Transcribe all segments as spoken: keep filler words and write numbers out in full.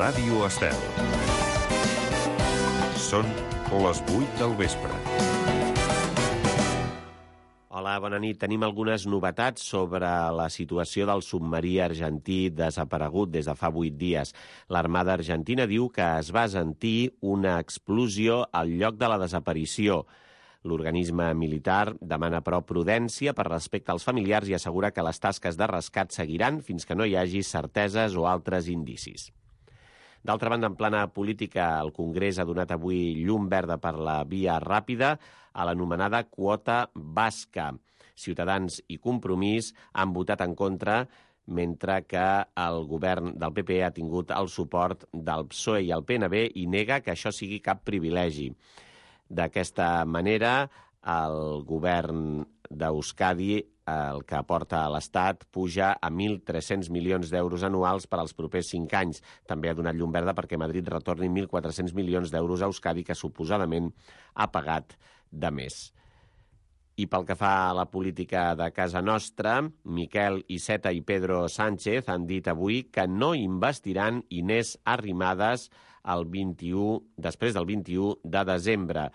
Ràdio Estel. Són les vuit del vespre. Hola, bona nit. Tenim algunes novetats sobre la situació del submarí argentí desaparegut des de fa vuit dies. L'Armada Argentina diu que es va sentir una explosió al lloc de la desaparició. L'organisme militar demana, però, prudència per respecte als familiars i assegura que les tasques de rescat seguiran fins que no hi hagi certeses o altres indicis. D'altra banda, en plana política, el Congrés ha donat avui llum verda per la via ràpida a l'anomenada quota basca. Ciutadans i Compromís han votat en contra, mentre que el govern del P P ha tingut el suport del P S O E i el P N B i nega que això sigui cap privilegi. D'aquesta manera, el govern d'Euskadi, el que aporta a l'Estat, puja a mil tres-cents milions d'euros anuals per als propers cinc anys. També ha donat llum verda perquè Madrid retorni mil quatre-cents milions d'euros a Euskadi, que suposadament ha pagat de més. I pel que fa a la política de casa nostra, Miquel Iceta i Pedro Sánchez han dit avui que no investiran Inés Arrimadas el vint-i-u, després del vint-i-u de desembre.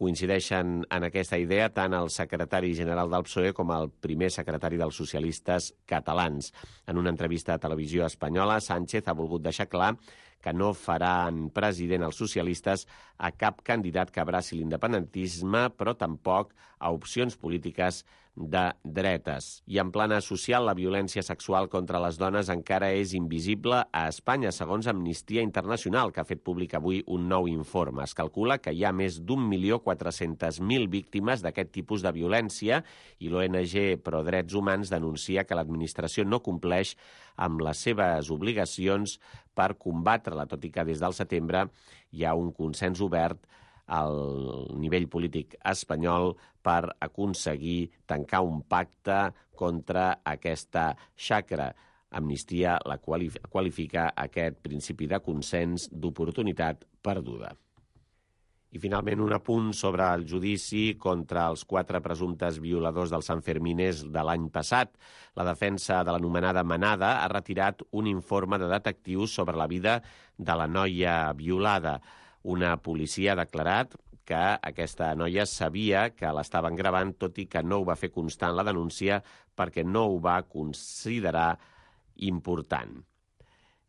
Coincideixen en aquesta idea tant el secretari general del P S O E com el primer secretari dels socialistes catalans. En una entrevista a Televisió Espanyola, Sánchez ha volgut deixar clar que no faran president els socialistes a cap candidat que abraci l'independentisme, però tampoc a opcions polítiques de dretes. I en plana social, la violència sexual contra les dones encara és invisible a Espanya, segons Amnistia Internacional, que ha fet públic avui un nou informe. Es calcula que hi ha més d'un milió quatre-cents mil víctimes d'aquest tipus de violència i l'O N G Pro Drets Humans denuncia que l'administració no compleix amb les seves obligacions per combatre-la, tot i que des del setembre hi ha un consens obert al nivell polític espanyol per aconseguir tancar un pacte contra aquesta xacra. Amnistia la qualifica aquest principi de consens d'oportunitat perduda. I finalment un apunt sobre el judici contra els quatre presumptes violadors dels Sanfermines de l'any passat. La defensa de l'anomenada Manada ha retirat un informe de detectius sobre la vida de la noia violada. Una policia ha declarat que aquesta noia sabia que l'estaven gravant, tot i que no ho va fer constar en la denúncia perquè no ho va considerar important.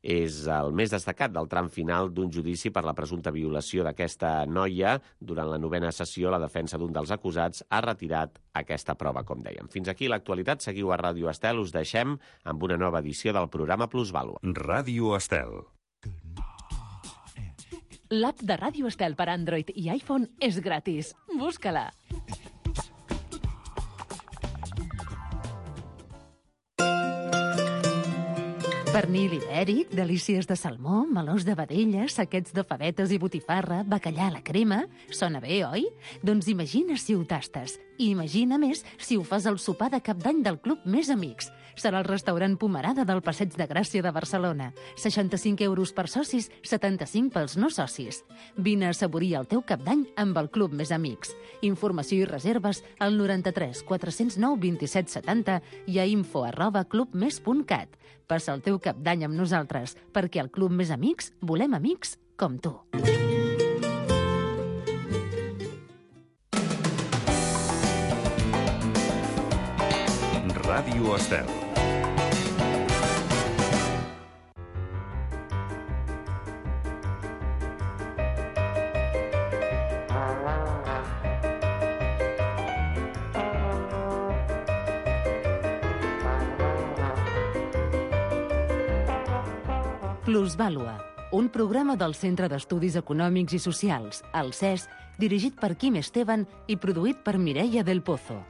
És el més destacat del tram final d'un judici per la presumpta violació d'aquesta noia. Durant la novena sessió, la defensa d'un dels acusats ha retirat aquesta prova, com dèiem. Fins aquí l'actualitat. Seguiu a Ràdio Estel. Us deixem amb una nova edició del programa Plusvàlua. Ràdio Estel. L'app de Ràdio Estel per Android i iPhone és gratis. Busca-la. Pernil ibèric, delícies de salmó, melós de vedella, saquets de favetes i botifarra, bacallà a la crema... Sona bé, oi? Doncs imagina si ho tastes. I imagina més si ho fas al sopar de cap d'any del Club Més Amics. Serà el restaurant Pomerada del Passeig de Gràcia de Barcelona. seixanta-cinc euros per socis, setanta-cinc pels no socis. Vine a assaborir el teu cap d'any amb el Club Més Amics. Informació i reserves al noranta-tres quatre-cents nou vint-i-set setanta i a info arroba clubmes punt cat. Passa el teu cap d'any amb nosaltres, perquè al Club Més Amics volem amics com tu. Ràdio Estel. Plusvàlua, un programa del Centre d'Estudis Econòmics i Socials, el C E S, dirigit per Quim Esteban i produït per Mireia del Pozo.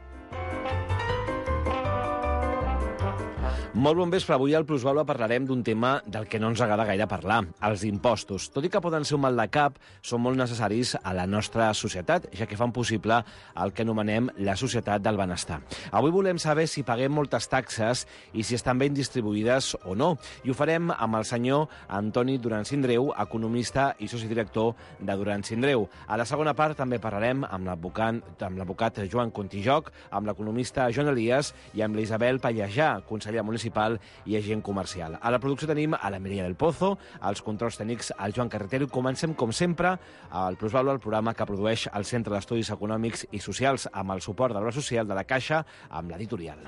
Molt bon vespre. Avui al Plusvàlua parlarem d'un tema del que no ens agrada gaire parlar, els impostos. Tot i que poden ser un mal de cap, són molt necessaris a la nostra societat, ja que fan possible el que anomenem la societat del benestar. Avui volem saber si paguem moltes taxes i si estan ben distribuïdes o no. I ho farem amb el senyor Antoni Duran Sindreu, economista i soci director de Duran Sindreu. A la segona part també parlarem amb l'advocat Joan Contijoc, amb l'economista Joan Elias i amb l'Isabel Pallejà, consellera municipal municipal i agent comercial. A la producció tenim a la Mireia del Pozo, als controls tècnics al Joan Carretero. Comencem, com sempre, al Plusvalua, el programa que produeix el Centre d'Estudis Econòmics i Socials amb el suport de l'Obra Social de la Caixa amb l'editorial.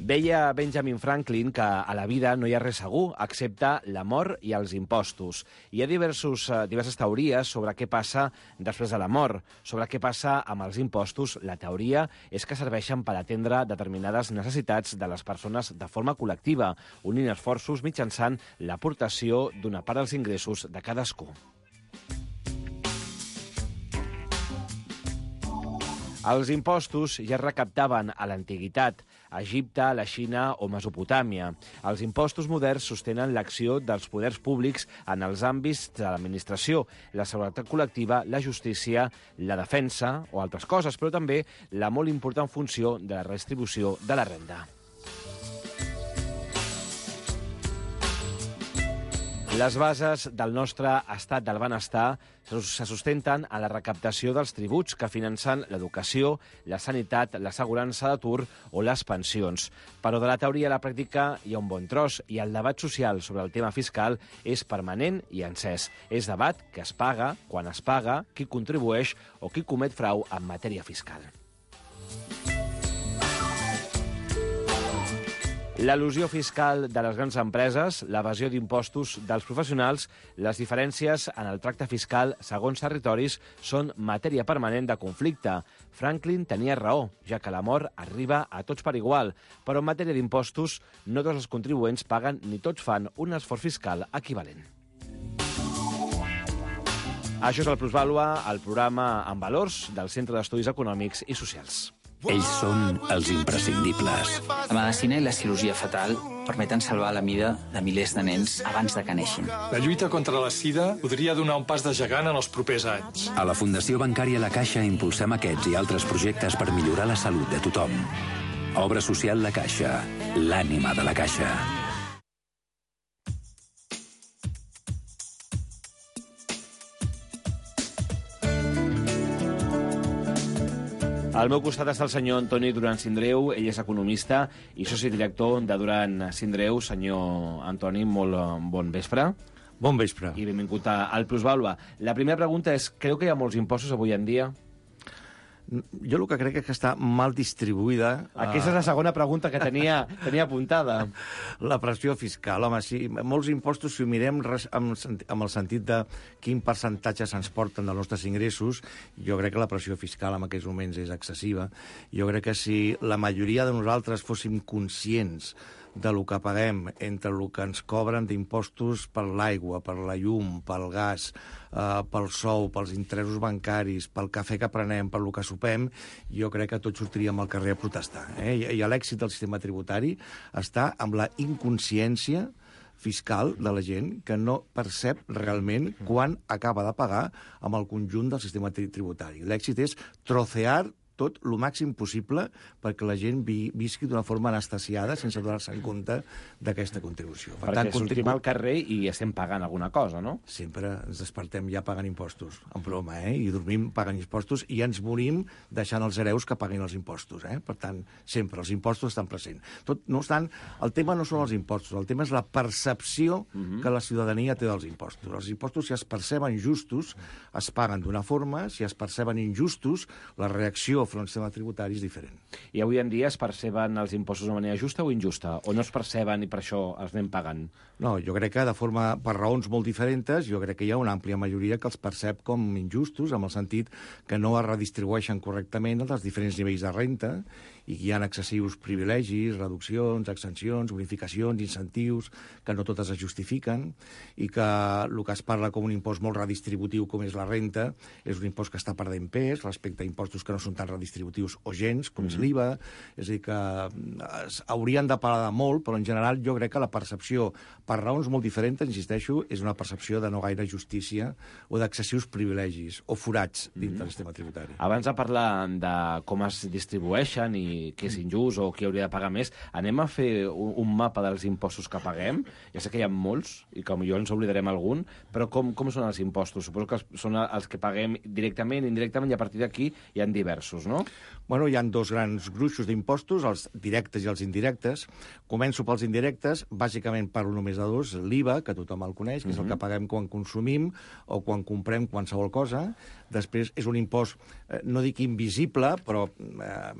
Deia Benjamin Franklin que a la vida no hi ha res segur, excepte la mort i els impostos. Hi ha diversos, diverses teories sobre què passa després de la mort, sobre què passa amb els impostos. La teoria és que serveixen per atendre determinades necessitats de les persones de forma col·lectiva, unint esforços mitjançant l'aportació d'una part dels ingressos de cadascú. Els impostos ja es recaptaven a l'antiguitat, a Egipte, la Xina o Mesopotàmia. Els impostos moderns sostenen l'acció dels poders públics en els àmbits de l'administració, la seguretat col·lectiva, la justícia, la defensa o altres coses, però també la molt important funció de la redistribució de la renda. Les bases del nostre estat del benestar se sustenten a la recaptació dels tributs que financen l'educació, la sanitat, l'assegurança d'atur o les pensions. Però de la teoria a la pràctica hi ha un bon tros i el debat social sobre el tema fiscal és permanent i encès. És debat que es paga, quan es paga, qui contribueix o qui comet frau en matèria fiscal. L'elusió fiscal de les grans empreses, l'evasió d'impostos dels professionals, les diferències en el tracte fiscal segons territoris són matèria permanent de conflicte. Franklin tenia raó, ja que la mort arriba a tots per igual, però en matèria d'impostos no tots els contribuents paguen ni tots fan un esforç fiscal equivalent. Això és el Plusvàlua, el programa en valors del Centre d'Estudis Econòmics i Socials. Ells són els imprescindibles. La medicina i la cirurgia fetal permeten salvar la vida de milers de nens abans de que neixin. La lluita contra la sida podria donar un pas de gegant en els propers anys. A la Fundació Bancària La Caixa impulsem aquests i altres projectes per millorar la salut de tothom. Obra social La Caixa, l'ànima de la Caixa. Al meu costat està el senyor Antoni Duran Sindreu, ell és economista i soci director de Duran Sindreu. Senyor Antoni, molt bon vespre. Bon vespre. I benvingut al Plusvàlua. La primera pregunta és, creu que hi ha molts impostos avui en dia? Jo el que crec és que està mal distribuïda... Aquesta és la segona pregunta que tenia, tenia apuntada. La pressió fiscal. Home, sí, molts impostos, si ho mirem amb, amb el sentit de quin percentatge se'ns porten dels nostres ingressos, jo crec que la pressió fiscal en aquests moments és excessiva. Jo crec que si la majoria de nosaltres fóssim conscients de lo que paguem entre el que ens cobren d'impostos per l'aigua, per la llum, pel gas, eh, pel sou, pels interessos bancaris, pel cafè que prenem, per lo que sopem, jo crec que tots sortiríem al carrer a protestar. Eh? I, i l'èxit del sistema tributari està amb la inconsciència fiscal de la gent que no percep realment quan acaba de pagar amb el conjunt del sistema tributari. L'èxit és trocear tot el màxim possible perquè la gent vi, visqui d'una forma anestesiada sense donar-se en compte d'aquesta contribució. Per perquè tant, sortim contribu... al carrer i estem pagant alguna cosa, no? Sempre ens despertem ja pagant impostos, en broma, eh? I dormim pagant impostos i ens morim deixant els hereus que paguin els impostos, eh? Per tant, sempre, els impostos estan presents. Tot, no obstant, el tema no són els impostos, el tema és la percepció uh-huh. que la ciutadania té dels impostos. Els impostos, si es perceben justos, es paguen d'una forma, si es perceben injustos, la reacció front al sistema tributari és diferent. I avui en dia es perceben els impostos de manera justa o injusta? O no es perceben i per això els anem pagant? No, jo crec que de forma, per raons molt diferents, jo crec que hi ha una àmplia majoria que els percep com injustos, en el sentit que no es redistribueixen correctament els diferents nivells de renta i hi ha excessius privilegis, reduccions, exencions, bonificacions, incentius, que no totes es justifiquen, i que el que es parla com un impost molt redistributiu com és la renta és un impost que està perdent pes respecte a impostos que no són tan redistributius o gens, com mm-hmm. és l'I V A. És a dir, que es haurien de parlar de molt, però en general jo crec que la percepció, per raons molt diferents, insisteixo, és una percepció de no gaire justícia o d'excessius privilegis o forats dintre mm-hmm. del sistema tributari. Abans de parlar de com es distribueixen i ni que és injust o qui hauria de pagar més. Anem a fer un, un mapa dels impostos que paguem. Ja sé que hi ha molts, i que potser ens oblidarem algun, però com, com són els impostos? Suposo que són els que paguem directament, indirectament, i a partir d'aquí hi ha diversos, no? Bueno, hi ha dos grans gruixos d'impostos, els directes i els indirectes. Començo pels indirectes, bàsicament parlo només de dos, l'I V A, que tothom el coneix, que és el que paguem quan consumim o quan comprem qualsevol cosa. Després és un impost, eh, no dic invisible, però eh,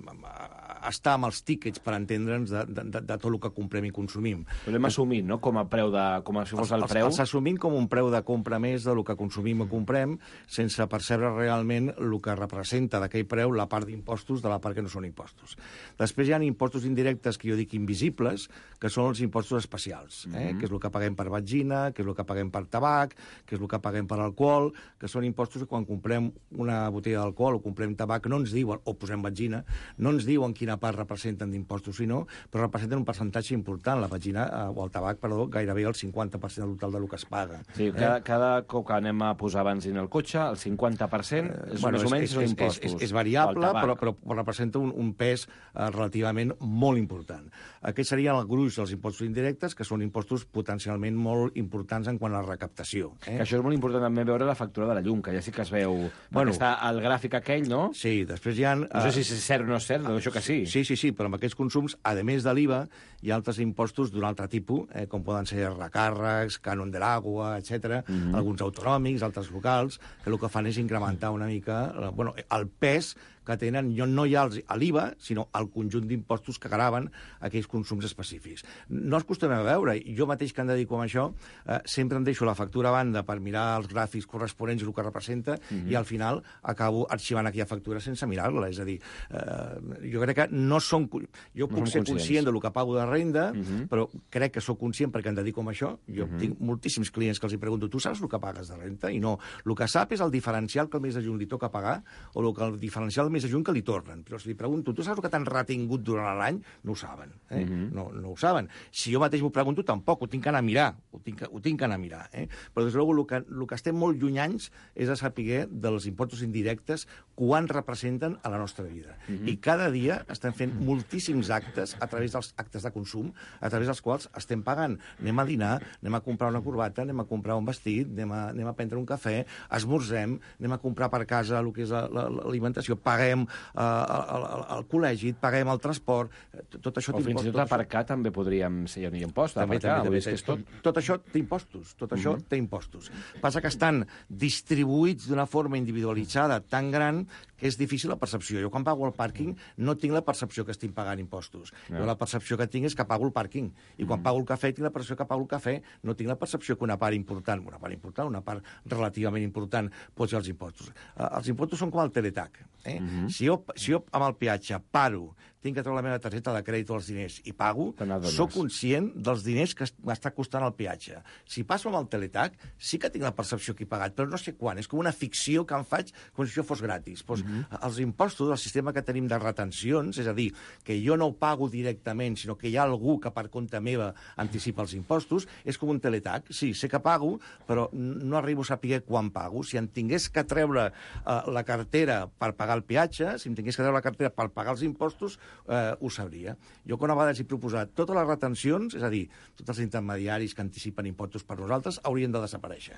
està amb els tíquets, per entendre'ns, de, de, de, de tot el que comprem i consumim. Però l'hem assumit, no?, com a preu de... com si fos el preu. Els, els assumim com un preu de compra més del que consumim o comprem, sense percebre realment el que representa d'aquell preu la part d'impostos de la part que no són impostos. Després hi ha impostos indirectes que jo dic invisibles, que són els impostos especials, eh? Mm-hmm. Que és el que paguem per benzina, que és el que paguem per tabac, que és el que paguem per alcohol, que són impostos que quan comprem una botella d'alcohol o comprem tabac no ens diuen, o posem benzina, no ens diuen quina part representen d'impostos, sinó, però representen un percentatge important. La benzina, eh, o el tabac, perdó, gairebé el cinquanta per cent del total del que es paga. Sí, eh? cada, cada cop que anem a posar benzina al cotxe, el cinquanta per cent és, bueno, més o menys és, són és, impostos. És, és, és variable, però, però representa un, un pes eh, relativament molt important. Aquests serien el gruix dels impostos indirectes, que són impostos potencialment molt importants en quant a la recaptació. Eh? Que això és molt important també veure la factura de la llum, que ja sí que es veu... Bueno, està el gràfic aquell, no? Sí, després hi ha... No sé si és cert o no és cert, però això que sí. Sí, sí, sí, però amb aquests consums, a més de l'I V A, hi ha altres impostos d'un altre tipus, eh, com poden ser recàrrecs, cànon de l'aigua, etcètera, mm-hmm. alguns autonòmics, altres locals, que el que fan és incrementar una mica bueno, el pes que tenen, no hi ha l'I V A, sinó el conjunt d'impostos que graven aquells consums específics. No els acostumem a veure. Jo mateix que em dedico a això, eh, sempre em deixo la factura a banda per mirar els gràfics corresponents i el que representa, mm-hmm. i al final acabo arxivant aquella factura sense mirar-la. És a dir, eh, jo crec que no som... Jo puc no ser conscient del que pago de renda, mm-hmm. però crec que sóc conscient perquè em dedico a això. Jo mm-hmm. tinc moltíssims clients que els hi pregunto, tu saps el que pagues de renta? I no. El que sap és el diferencial que el mes de juny li toca pagar, o el que el diferencial més de juny que li tornen. Però si li pregunto, tu saps el que t'han retingut durant l'any? No ho saben. Eh? Mm-hmm. no, no ho saben. Si jo mateix m'ho pregunto, tampoc. Ho tinc que anar a mirar. Ho tinc que, ho tinc que anar a mirar. Eh? Però, des de el que, el que estem molt llunyans és a saber dels impostos indirectes quan representen a la nostra vida. Mm-hmm. I cada dia estem fent moltíssims actes a través dels actes de consum, a través dels quals estem pagant. Anem a dinar, anem a comprar una corbata, anem a comprar un vestit, anem a, anem a prendre un cafè, esmorzem, anem a comprar per casa el que és l'alimentació, paguem al, al col·legi, paguem el transport, tot això... O fins i tot aparcar també podríem ser un impost. També, també, també, també. Tot... tot això té impostos, tot això uh-huh. té impostos. Passa que estan distribuïts d'una forma individualitzada tan gran que és difícil la percepció. Jo quan pago el pàrquing no tinc la percepció que estic pagant impostos. No. Jo la percepció que tinc és que pago el pàrquing. I quan uh-huh. pago el cafè tinc la percepció que pago el cafè, no tinc la percepció que una part important, una part important, una part relativament important pot ser els impostos. Uh, els impostos són com el teletac. Eh? Uh-huh. Si jo, si jo amb el peatge paro, tinc que treure la meva targeta de crèdit o els diners i pago, sóc conscient dels diners que m'està costant el peatge. Si passo amb el teletac, sí que tinc la percepció que he pagat, però no sé quan. És com una ficció que em faig com si això fos gratis. Pues, mm-hmm. Els impostos, el sistema que tenim de retencions, és a dir, que jo no ho pago directament, sinó que hi ha algú que per compte meva anticipa els impostos, és com un teletac. Sí, sé que pago, però no arribo a saber quan pago. Si em tingués que treure uh, la cartera per pagar el peatge, si em tingués que treure la cartera per pagar els impostos, eh, ho sabria. Jo, quan a vegades he proposat totes les retencions, és a dir, tots els intermediaris que anticipen impostos per nosaltres, haurien de desaparèixer.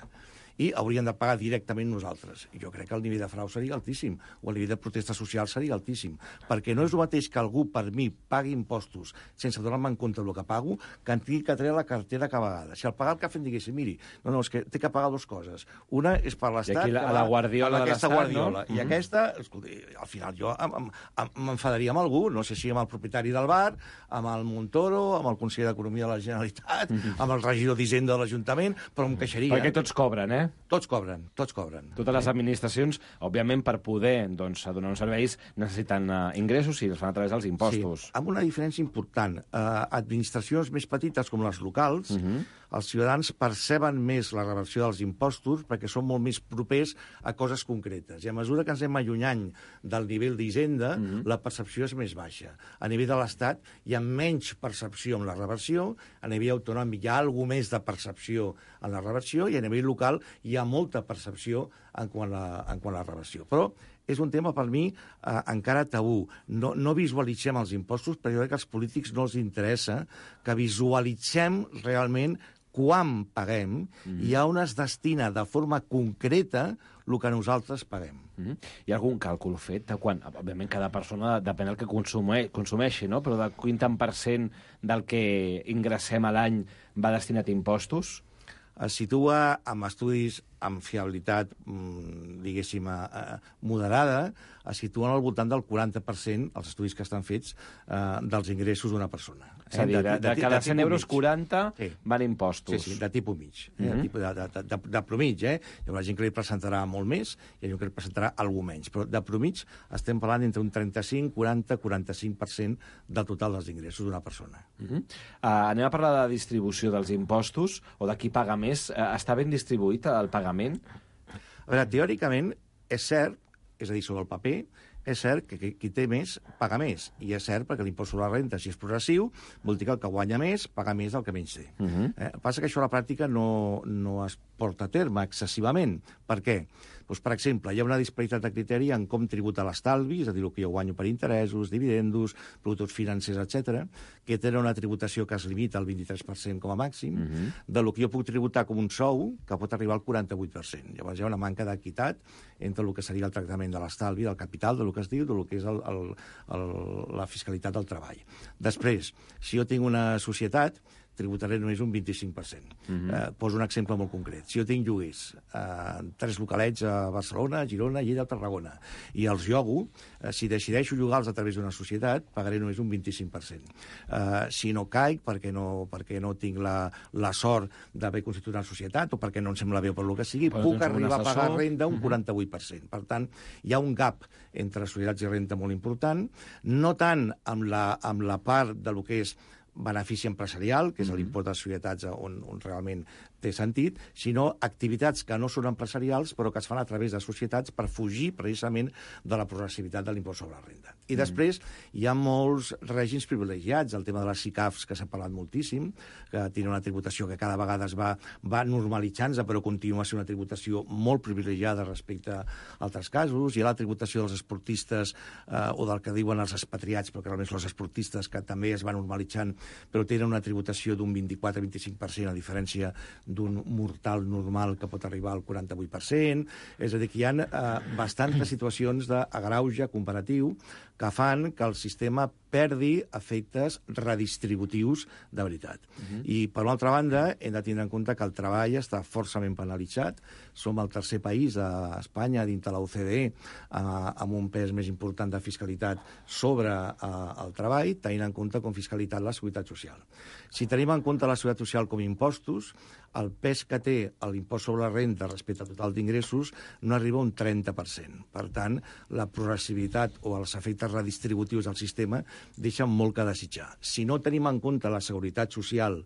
I haurien de pagar directament nosaltres. I jo crec que el nivell de frau seria altíssim, o el nivell de protesta social seria altíssim, perquè no és el mateix que algú per mi pagui impostos sense donar-me en compte del que pago, que en tingui que treure la cartera cada vegada. Si al pagar el cafè em diguessin, miri, no, no, és que té que pagar dues coses. Una és per l'Estat... I aquí la, a la guardiola de l'Estat, guardiola, no? I mm-hmm. aquesta, escolti, al final jo m'enfadaria amb algú, no sé si amb el propietari del bar, amb el Montoro, amb el conseller d'Economia de la Generalitat, mm-hmm. amb el regidor d'Hisenda de l'Ajuntament, però em queixaria. Perquè tots cobren, eh? Tots cobren, tots cobren. Totes les administracions, òbviament, per poder doncs, donar uns serveis, necessiten uh, ingressos i els fan a través dels impostos. Sí, amb una diferència important. Uh, administracions més petites, com les locals, uh-huh. els ciutadans perceben més la reversió dels impostos perquè són molt més propers a coses concretes. I a mesura que ens anem allunyant del nivell d'Hisenda, uh-huh. la percepció és més baixa. A nivell de l'Estat hi ha menys percepció amb la reversió, a nivell autonòmic hi ha alguna més de percepció en la reversió, i a nivell local hi ha molta percepció en quant a, en quant a la reversió. Però és un tema, per mi, eh, encara tabú. No, no visualitzem els impostos, perquè jo crec que als polítics no els interessa que visualitzem realment quan paguem mm. i on es destina de forma concreta el que nosaltres paguem. Mm. Hi ha algun càlcul fet de quan? Òbviament, cada persona depèn del que consume, consumeixi, no? Però de quin tant per cent del que ingressem a l'any va destinat a impostos? Es situa amb estudis amb fiabilitat, diguéssim, moderada, es situen al voltant del quaranta per cent, els estudis que estan fets, eh, dels ingressos d'una persona. És a dir, de, de, de cada cent euros, quaranta sí. van impostos. Sí, sí, de tipus mig, eh? Mm-hmm. de, tipus de, de, de, de promig. Eh? Hi haurà gent que li presentarà molt més i hi ha gent que li presentarà alguna menys, però de promig estem parlant entre un trenta-cinc, quaranta, quaranta-cinc per cent del total dels ingressos d'una persona. Mm-hmm. uh, anem a parlar de distribució dels impostos, o de qui paga més. Uh, està ben distribuït el pagament? A veure, teòricament, és cert, és a dir, sobre el paper, és cert que qui té més paga més. I és cert perquè l'impost sobre la renta, si és progressiu, vol dir que el que guanya més paga més del que menys té. Uh-huh. eh, passa que això a la pràctica no, no es porta a terme excessivament. Per què? Doncs, per exemple, hi ha una disparitat de criteri en com tributa l'estalvi, és a dir, el que jo guanyo per interessos, dividendos, productes financers, etcètera, que tenen una tributació que es limita al vint-i-tres per cent com a màxim, uh-huh. de lo que jo puc tributar com un sou, que pot arribar al quaranta-vuit per cent. Llavors hi ha una manca d'equitat entre el que seria el tractament de l'estalvi, del capital, del que es diu, del que és el, el, el, la fiscalitat del treball. Després, si jo tinc una societat, tributaré només un vint-i-cinc per cent. Mm-hmm. eh, poso un exemple molt concret. Si jo tinc lloguers, eh, tres localets a Barcelona, Girona, Lleida, Tarragona, i els llogo, eh, si decideixo llogar-los a través d'una societat, pagaré només un vint-i-cinc per cent. Eh, si no caic, perquè no, perquè no tinc la, la sort d'haver constituït una societat, o perquè no em sembla bé o per lo que sigui, però puc arribar a pagar renda un quaranta-vuit per cent. Per tant, hi ha un gap entre societats i renta molt important, no tant amb la, amb la part de lo que és benefici empresarial, que és mm-hmm. l'impost de societats on, on realment té sentit, sinó activitats que no són empresarials però que es fan a través de societats per fugir precisament de la progressivitat de l'impost sobre la renda. I mm-hmm. després hi ha molts règims privilegiats, el tema de les SICAFs, que s'ha parlat moltíssim, que tenen una tributació que cada vegada es va, va normalitzant-se, però continua sent una tributació molt privilegiada respecte a altres casos. Hi ha la tributació dels esportistes eh, o del que diuen els expatriats, però que realment són els esportistes, que també es va normalitzant, però tenen una tributació d'un vint-i-quatre a vint-i-cinc per cent, a diferència d'un mortal normal que pot arribar al quaranta-vuit per cent. És a dir, que hi ha eh, bastantes situacions d'agrauge comparatiu que fan que el sistema perdi efectes redistributius de veritat. Uh-huh. I, per una altra banda, hem de tindre en compte que el treball està forçament penalitzat. Som el tercer país a Espanya, dintre la O C D E, eh, amb un pes més important de fiscalitat sobre eh, el treball, tenint en compte com fiscalitat la seguretat social. Si tenim en compte la seguretat social com impostos, el pes que té l'impost sobre la renda respecte al total d'ingressos no arriba a un trenta per cent. Per tant, la progressivitat o els efectes redistributius del sistema deixen molt que desitjar. Si no tenim en compte la seguretat social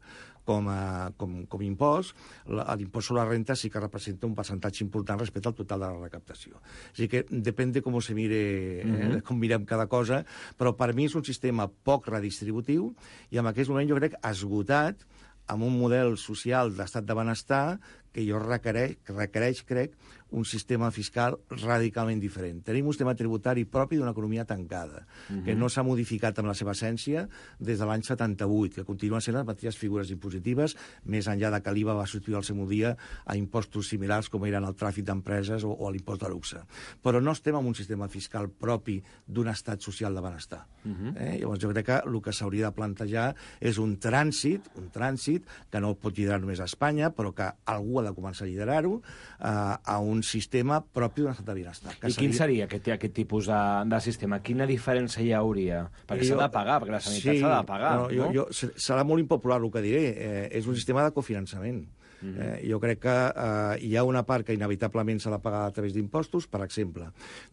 com a com, com impost, l'impost sobre la renta sí que representa un percentatge important respecte al total de la recaptació. O sigui que depèn de com se mire, mm-hmm. eh, com mirem cada cosa, però per mi és un sistema poc redistributiu i en aquest moment jo crec esgotat amb un model social d'estat de benestar que jo requereix, que requereix, crec, un sistema fiscal radicalment diferent. Tenim un sistema tributari propi d'una economia tancada, uh-huh. que no s'ha modificat amb la seva essència des de l'any setanta-vuit, que continuen sent les mateixes figures impositives, més enllà de que l'I V A va substituir al seu dia a impostos similars com eren el tràfic d'empreses o, o l'impost de luxe. Però no estem en un sistema fiscal propi d'un estat social de benestar. Uh-huh. eh? Llavors jo crec que el que s'hauria de plantejar és un trànsit, un trànsit que no pot liderar només a Espanya, però que algú ha de començar a liderar-ho, eh, a un sistema propi d'un estat de benestar. I quin seria aquest, aquest tipus de, de sistema? Quina diferència hi hauria? Perquè s'ha de pagar, perquè la sanitat sí, s'ha de pagar. No, jo, jo, serà molt impopular el que diré. Eh, és un sistema de cofinançament. Mm-hmm. Eh, jo crec que eh, hi ha una part que inevitablement s'ha de pagar a través d'impostos. Per exemple,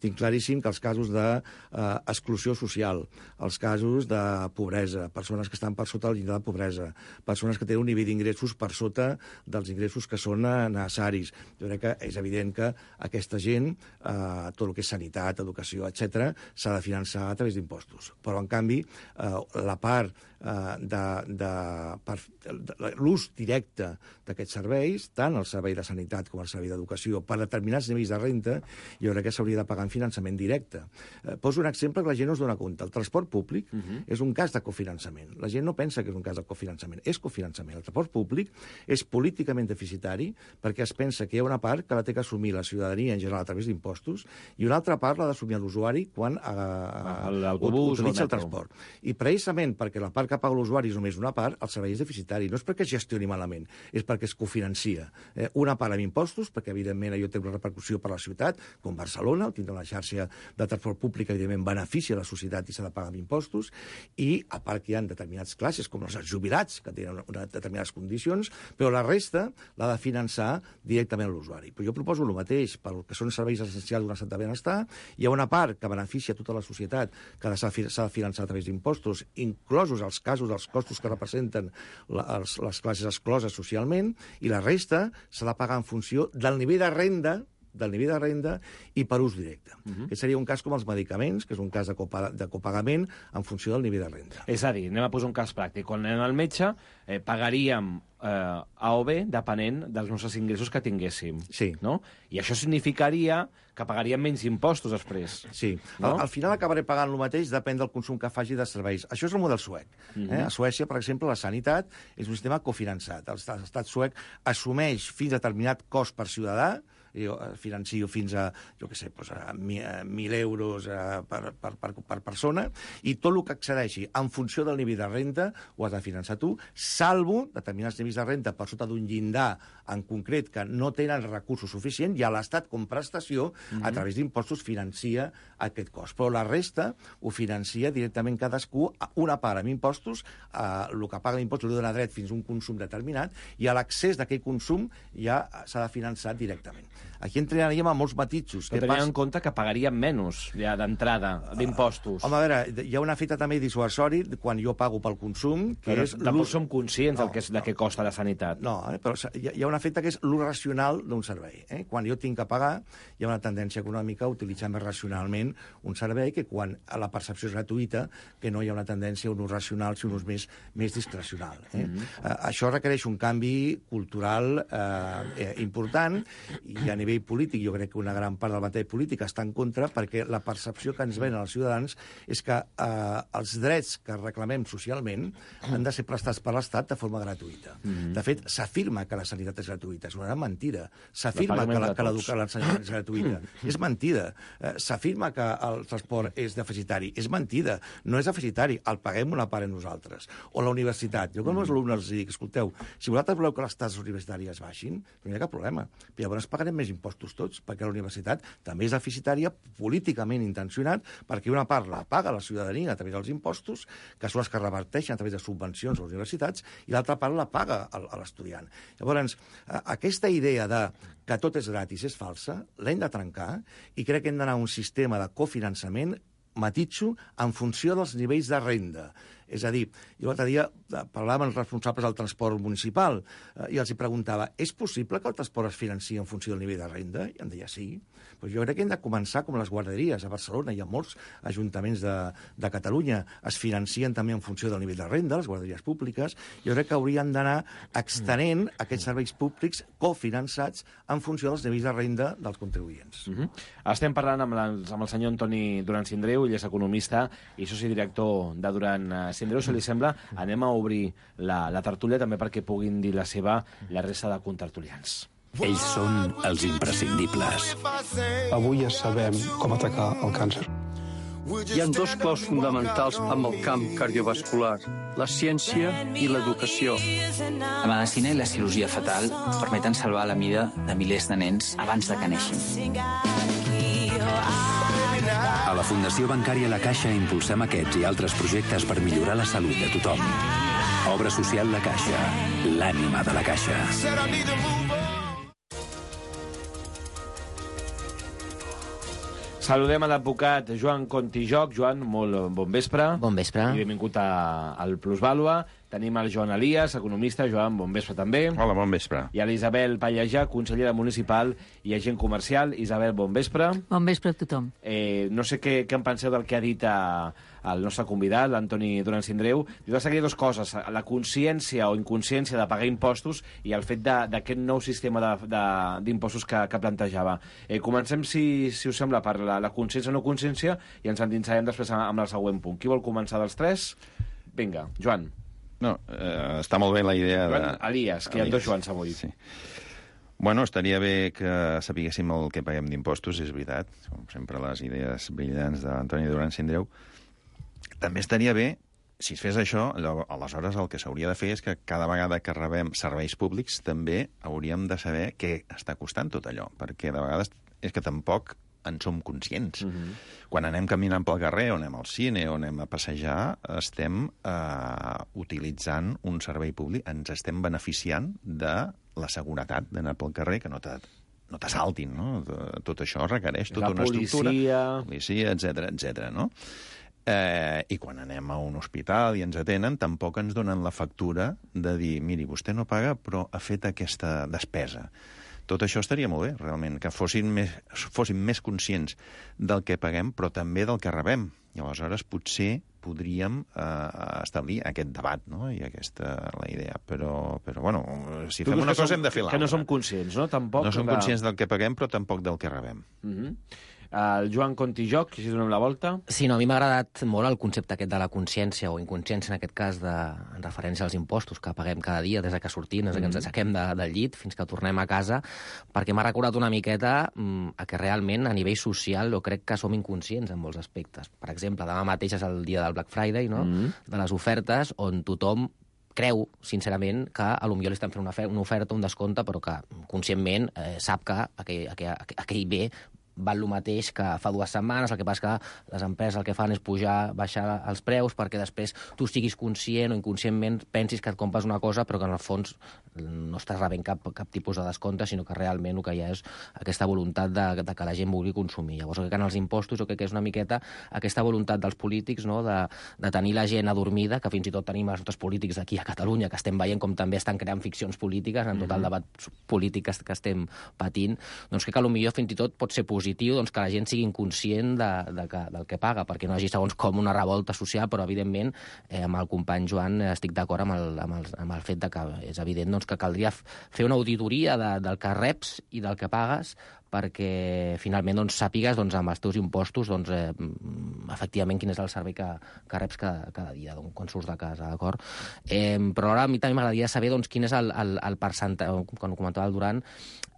tinc claríssim que els casos d'exclusió eh, social, els casos de pobresa, persones que estan per sota del llindar de pobresa, persones que tenen un nivell d'ingressos per sota dels ingressos que són necessaris. Jo crec que és evident que aquesta gent, eh, tot el que és sanitat, educació, etcètera, s'ha de finançar a través d'impostos. Però, en canvi, eh, la part eh, de, de, per, de l'ús directe d'aquests serveis, tant el servei de sanitat com el servei d'educació, per determinats nivells de renta, jo crec que s'hauria de pagar en finançament directe. Eh, poso un exemple que la gent no es dona compte. El transport públic uh -huh. és un cas de cofinançament. La gent no pensa que és un cas de cofinançament. És cofinançament. El transport públic és políticament deficitari perquè es pensa que hi ha una part que la té que assumir la ciutadania en general a través d'impostos i una altra part l'ha d'assumir l'usuari quan eh, utilitza el transport. I precisament perquè la part que paga l'usuari és només una part, el servei és deficitari. No és perquè es gestioni malament, és perquè es cofinancia. Eh, una part amb impostos, perquè evidentment allò té una repercussió per a la ciutat, com Barcelona, tindrà una xarxa de transport públic, evidentment beneficia a la societat i s'ha de pagar amb impostos, i a part que hi ha determinades classes, com els jubilats, que tenen unes determinades condicions, però la resta l'ha de finançar directament a l'usuari. Però jo proposo el mateix pel que són serveis essencials d'un estat de benestar. Hi ha una part que beneficia tota la societat, que s'ha de finançar a través d'impostos, inclosos els casos dels costos que representen les, les classes excloses socialment, i la resta s'ha de pagar en funció del nivell de renda del nivell de renda i per ús directe. Uh -huh. Aquest seria un cas com els medicaments, que és un cas de, copa, de copagament en funció del nivell de renda. És a dir, anem a posar un cas pràctic. Quan anem al metge, eh, pagaríem eh, A o B depenent dels nostres ingressos que tinguéssim. Sí. No? I això significaria que pagaríem menys impostos després. Sí. No? Al, al final acabaré pagant el mateix, depèn del consum que faci de serveis. Això és el model suec. Uh -huh. eh? A Suècia, per exemple, la sanitat és un sistema cofinançat. L'estat suec assumeix fins a determinat cost per ciutadà, jo financio fins a, jo què sé, doncs a mil euros a, per, per, per, per persona, i tot el que accedeixi en funció del nivell de renta ho has de finançar tu, salvo determinats nivells de renta per sota d'un llindar en concret que no tenen recursos suficients, i a l'Estat com prestació, mm-hmm. a través d'impostos, financia aquest cost. Però la resta ho financia directament cadascú, una part amb impostos, eh, el que paga l'impost li dona dret fins a un consum determinat, i a l'accés d'aquell consum ja s'ha de finançar directament. Aquí entraríem a molts matisos. Però tenint en compte que pagaríem menys ja d'entrada d'impostos. Uh, home, a veure, hi ha un efecte també dissuasori quan jo pago pel consum, que però és... Tampoc som conscients no, del que és, no. de què costa la sanitat. No, eh, però hi ha un efecte que és l'ús racional d'un servei. Eh? Quan jo tinc que pagar, hi ha una tendència econòmica a utilitzar més racionalment un servei que quan la percepció és gratuïta, que no hi ha una tendència a un ús racional, sinó un ús més, més discrecional. Eh? Mm-hmm. uh, això requereix un canvi cultural uh, eh, important, i a nivell polític jo crec que una gran part de la batalla política està en contra, perquè la percepció que ens venen els ciutadans és que eh, els drets que reclamem socialment han de ser prestats per l'Estat de forma gratuïta. Mm-hmm. De fet, s'afirma que la sanitat és gratuïta. És una gran mentida. S'afirma que la, que l'educació és gratuïta. És mentida. Eh, s'afirma que el transport és deficitari. És mentida. No és deficitari. El paguem una part en nosaltres. O la universitat. Jo com els alumnes els dic, escolteu, si vosaltres voleu que les taxes universitàries baixin, no hi ha cap problema. Però llavors pagarem més impostos tots, perquè la universitat també és deficitària, políticament intencionat, perquè una part la paga la ciutadania a través dels impostos, que són els que reverteixen a través de subvencions a les universitats, i l'altra part la paga a l'estudiant. Llavors, aquesta idea de que tot és gratis és falsa, l'hem de trencar, i crec que hem d'anar a un sistema de cofinançament, matitxo, en funció dels nivells de renda. És a dir, jo l'altre dia parlava amb els responsables del transport municipal eh, i els hi preguntava, és possible que el transport es financi en funció del nivell de renda? I em deia sí. Però jo crec que hem de començar com les guarderies. A Barcelona hi ha molts ajuntaments de, de Catalunya, es financien també en funció del nivell de renda, les guarderies públiques. Jo crec que haurien d'anar extenent aquests serveis públics cofinançats en funció dels nivells de renda dels contribuents. Mm-hmm. Estem parlant amb, les, amb el senyor Antoni Duran Sindreu, ell és economista i soci director de Duran Sindreu. Si li sembla, anem a obrir la, la tertúlia també perquè puguin dir la seva la resta de contertulians. Ells són els imprescindibles. Avui ja sabem com atacar el càncer. Hi ha dos claus fonamentals amb el camp cardiovascular, la ciència i l'educació. La medicina i la cirurgia fetal permeten salvar la vida de milers de nens abans de que neixin. A la Fundació Bancària La Caixa impulsem aquests i altres projectes per millorar la salut de tothom. Obra social La Caixa, l'ànima de la Caixa. Saludem a l'advocat Joan Contijoch. Joan, molt bon vespre. Bon vespre. I benvingut a, al Plusvàlua. Tenim el Joan Elias, economista. Joan, bon vespre també. Hola, bon vespre. I a l'Isabel Pallejà, consellera municipal i agent comercial. Isabel, bon vespre. Bon vespre a tothom. Eh, no sé què, què en penseu del que ha dit a, el nostre convidat, l'Antoni Duran Sindreu. Diu que hi ha dues coses, la consciència o inconsciència de pagar impostos i el fet d'aquest nou sistema d'impostos que, que plantejava. Eh, comencem, si, si us sembla, per la, la consciència o no consciència i ens endinsarem després amb el següent punt. Qui vol començar dels tres? Vinga, Joan. No, eh, està molt bé la idea de... Joan Elias, que hi ha dos Joans avui. Sí. Bueno, estaria bé que sapiguéssim el que paguem d'impostos, és veritat. Com sempre, les idees brillants d'Antoni Duran Sindreu. També estaria bé, si es fes això, aleshores el que s'hauria de fer és que cada vegada que rebem serveis públics també hauríem de saber què està costant tot allò, perquè de vegades és que tampoc en som conscients. Uh-huh. Quan anem caminant pel carrer, o anem al cine, o anem a passejar, estem eh, utilitzant un servei públic, ens estem beneficiant de la seguretat d'anar pel carrer, que no te, no t'assaltin, no? Tot això requereix tota una estructura. La policia, etcètera, etcètera, no? Eh, I quan anem a un hospital i ens atenen, tampoc ens donen la factura de dir, miri, vostè no paga, però ha fet aquesta despesa. Tot això estaria molt bé, realment, que fossin més, fossin més conscients del que paguem, però també del que rebem. I aleshores potser podríem eh, establir aquest debat, no? I aquesta la idea. Però, però bueno, si tu fem una cosa som, hem de fer l'altra. Que no som conscients, no? Tampoc no som de... conscients del que paguem, però tampoc del que rebem. Uh-huh. El Joan Contijoc, si donem la volta. Sí, no, a mi m'ha agradat molt el concepte aquest de la consciència, o inconsciència en aquest cas, de, en referència als impostos que paguem cada dia, des que sortim, des que ens aixequem de, del llit fins que tornem a casa, perquè m'ha recordat una miqueta mm, a que realment a nivell social jo crec que som inconscients en molts aspectes. Per exemple, demà mateix és el dia del Black Friday, no? Mm. de les ofertes, on tothom creu, sincerament, que a lo millor li estan fent una, una oferta, un descompte, però que conscientment eh, sap que aquell, aquell, aquell bé val el mateix que fa dues setmanes, el que passa que les empreses el que fan és pujar, baixar els preus perquè després tu siguis conscient o inconscientment pensis que et compres una cosa però que en el fons no estàs rebent cap, cap tipus de descompte, sinó que realment el que hi ha és aquesta voluntat de, de que la gent vulgui consumir. Llavors, crec que en els impostos jo crec que és una miqueta aquesta voluntat dels polítics, no?, de, de tenir la gent adormida, que fins i tot tenim els nostres polítics aquí a Catalunya, que estem veient com també estan creant ficcions polítiques en tot el debat polític que estem patint, doncs crec que potser fins i tot pot ser positiu doncs, que la gent sigui inconscient de, de que, del que paga, perquè no hi hagi segons com una revolta social, però evidentment eh, amb el company Joan eh, estic d'acord amb, el, amb, el, amb el fet de que és evident doncs, que caldria fer una auditoria de, del que reps i del que pagues perquè finalment doncs, sàpigues doncs, amb els teus impostos doncs, eh, efectivament quin és el servei que, que reps cada, cada dia doncs, quan surts de casa, d'acord? Eh, però ara a mi també m'agradaria saber doncs, quin és el, el, el percentatge, quan ho comentava el Duran,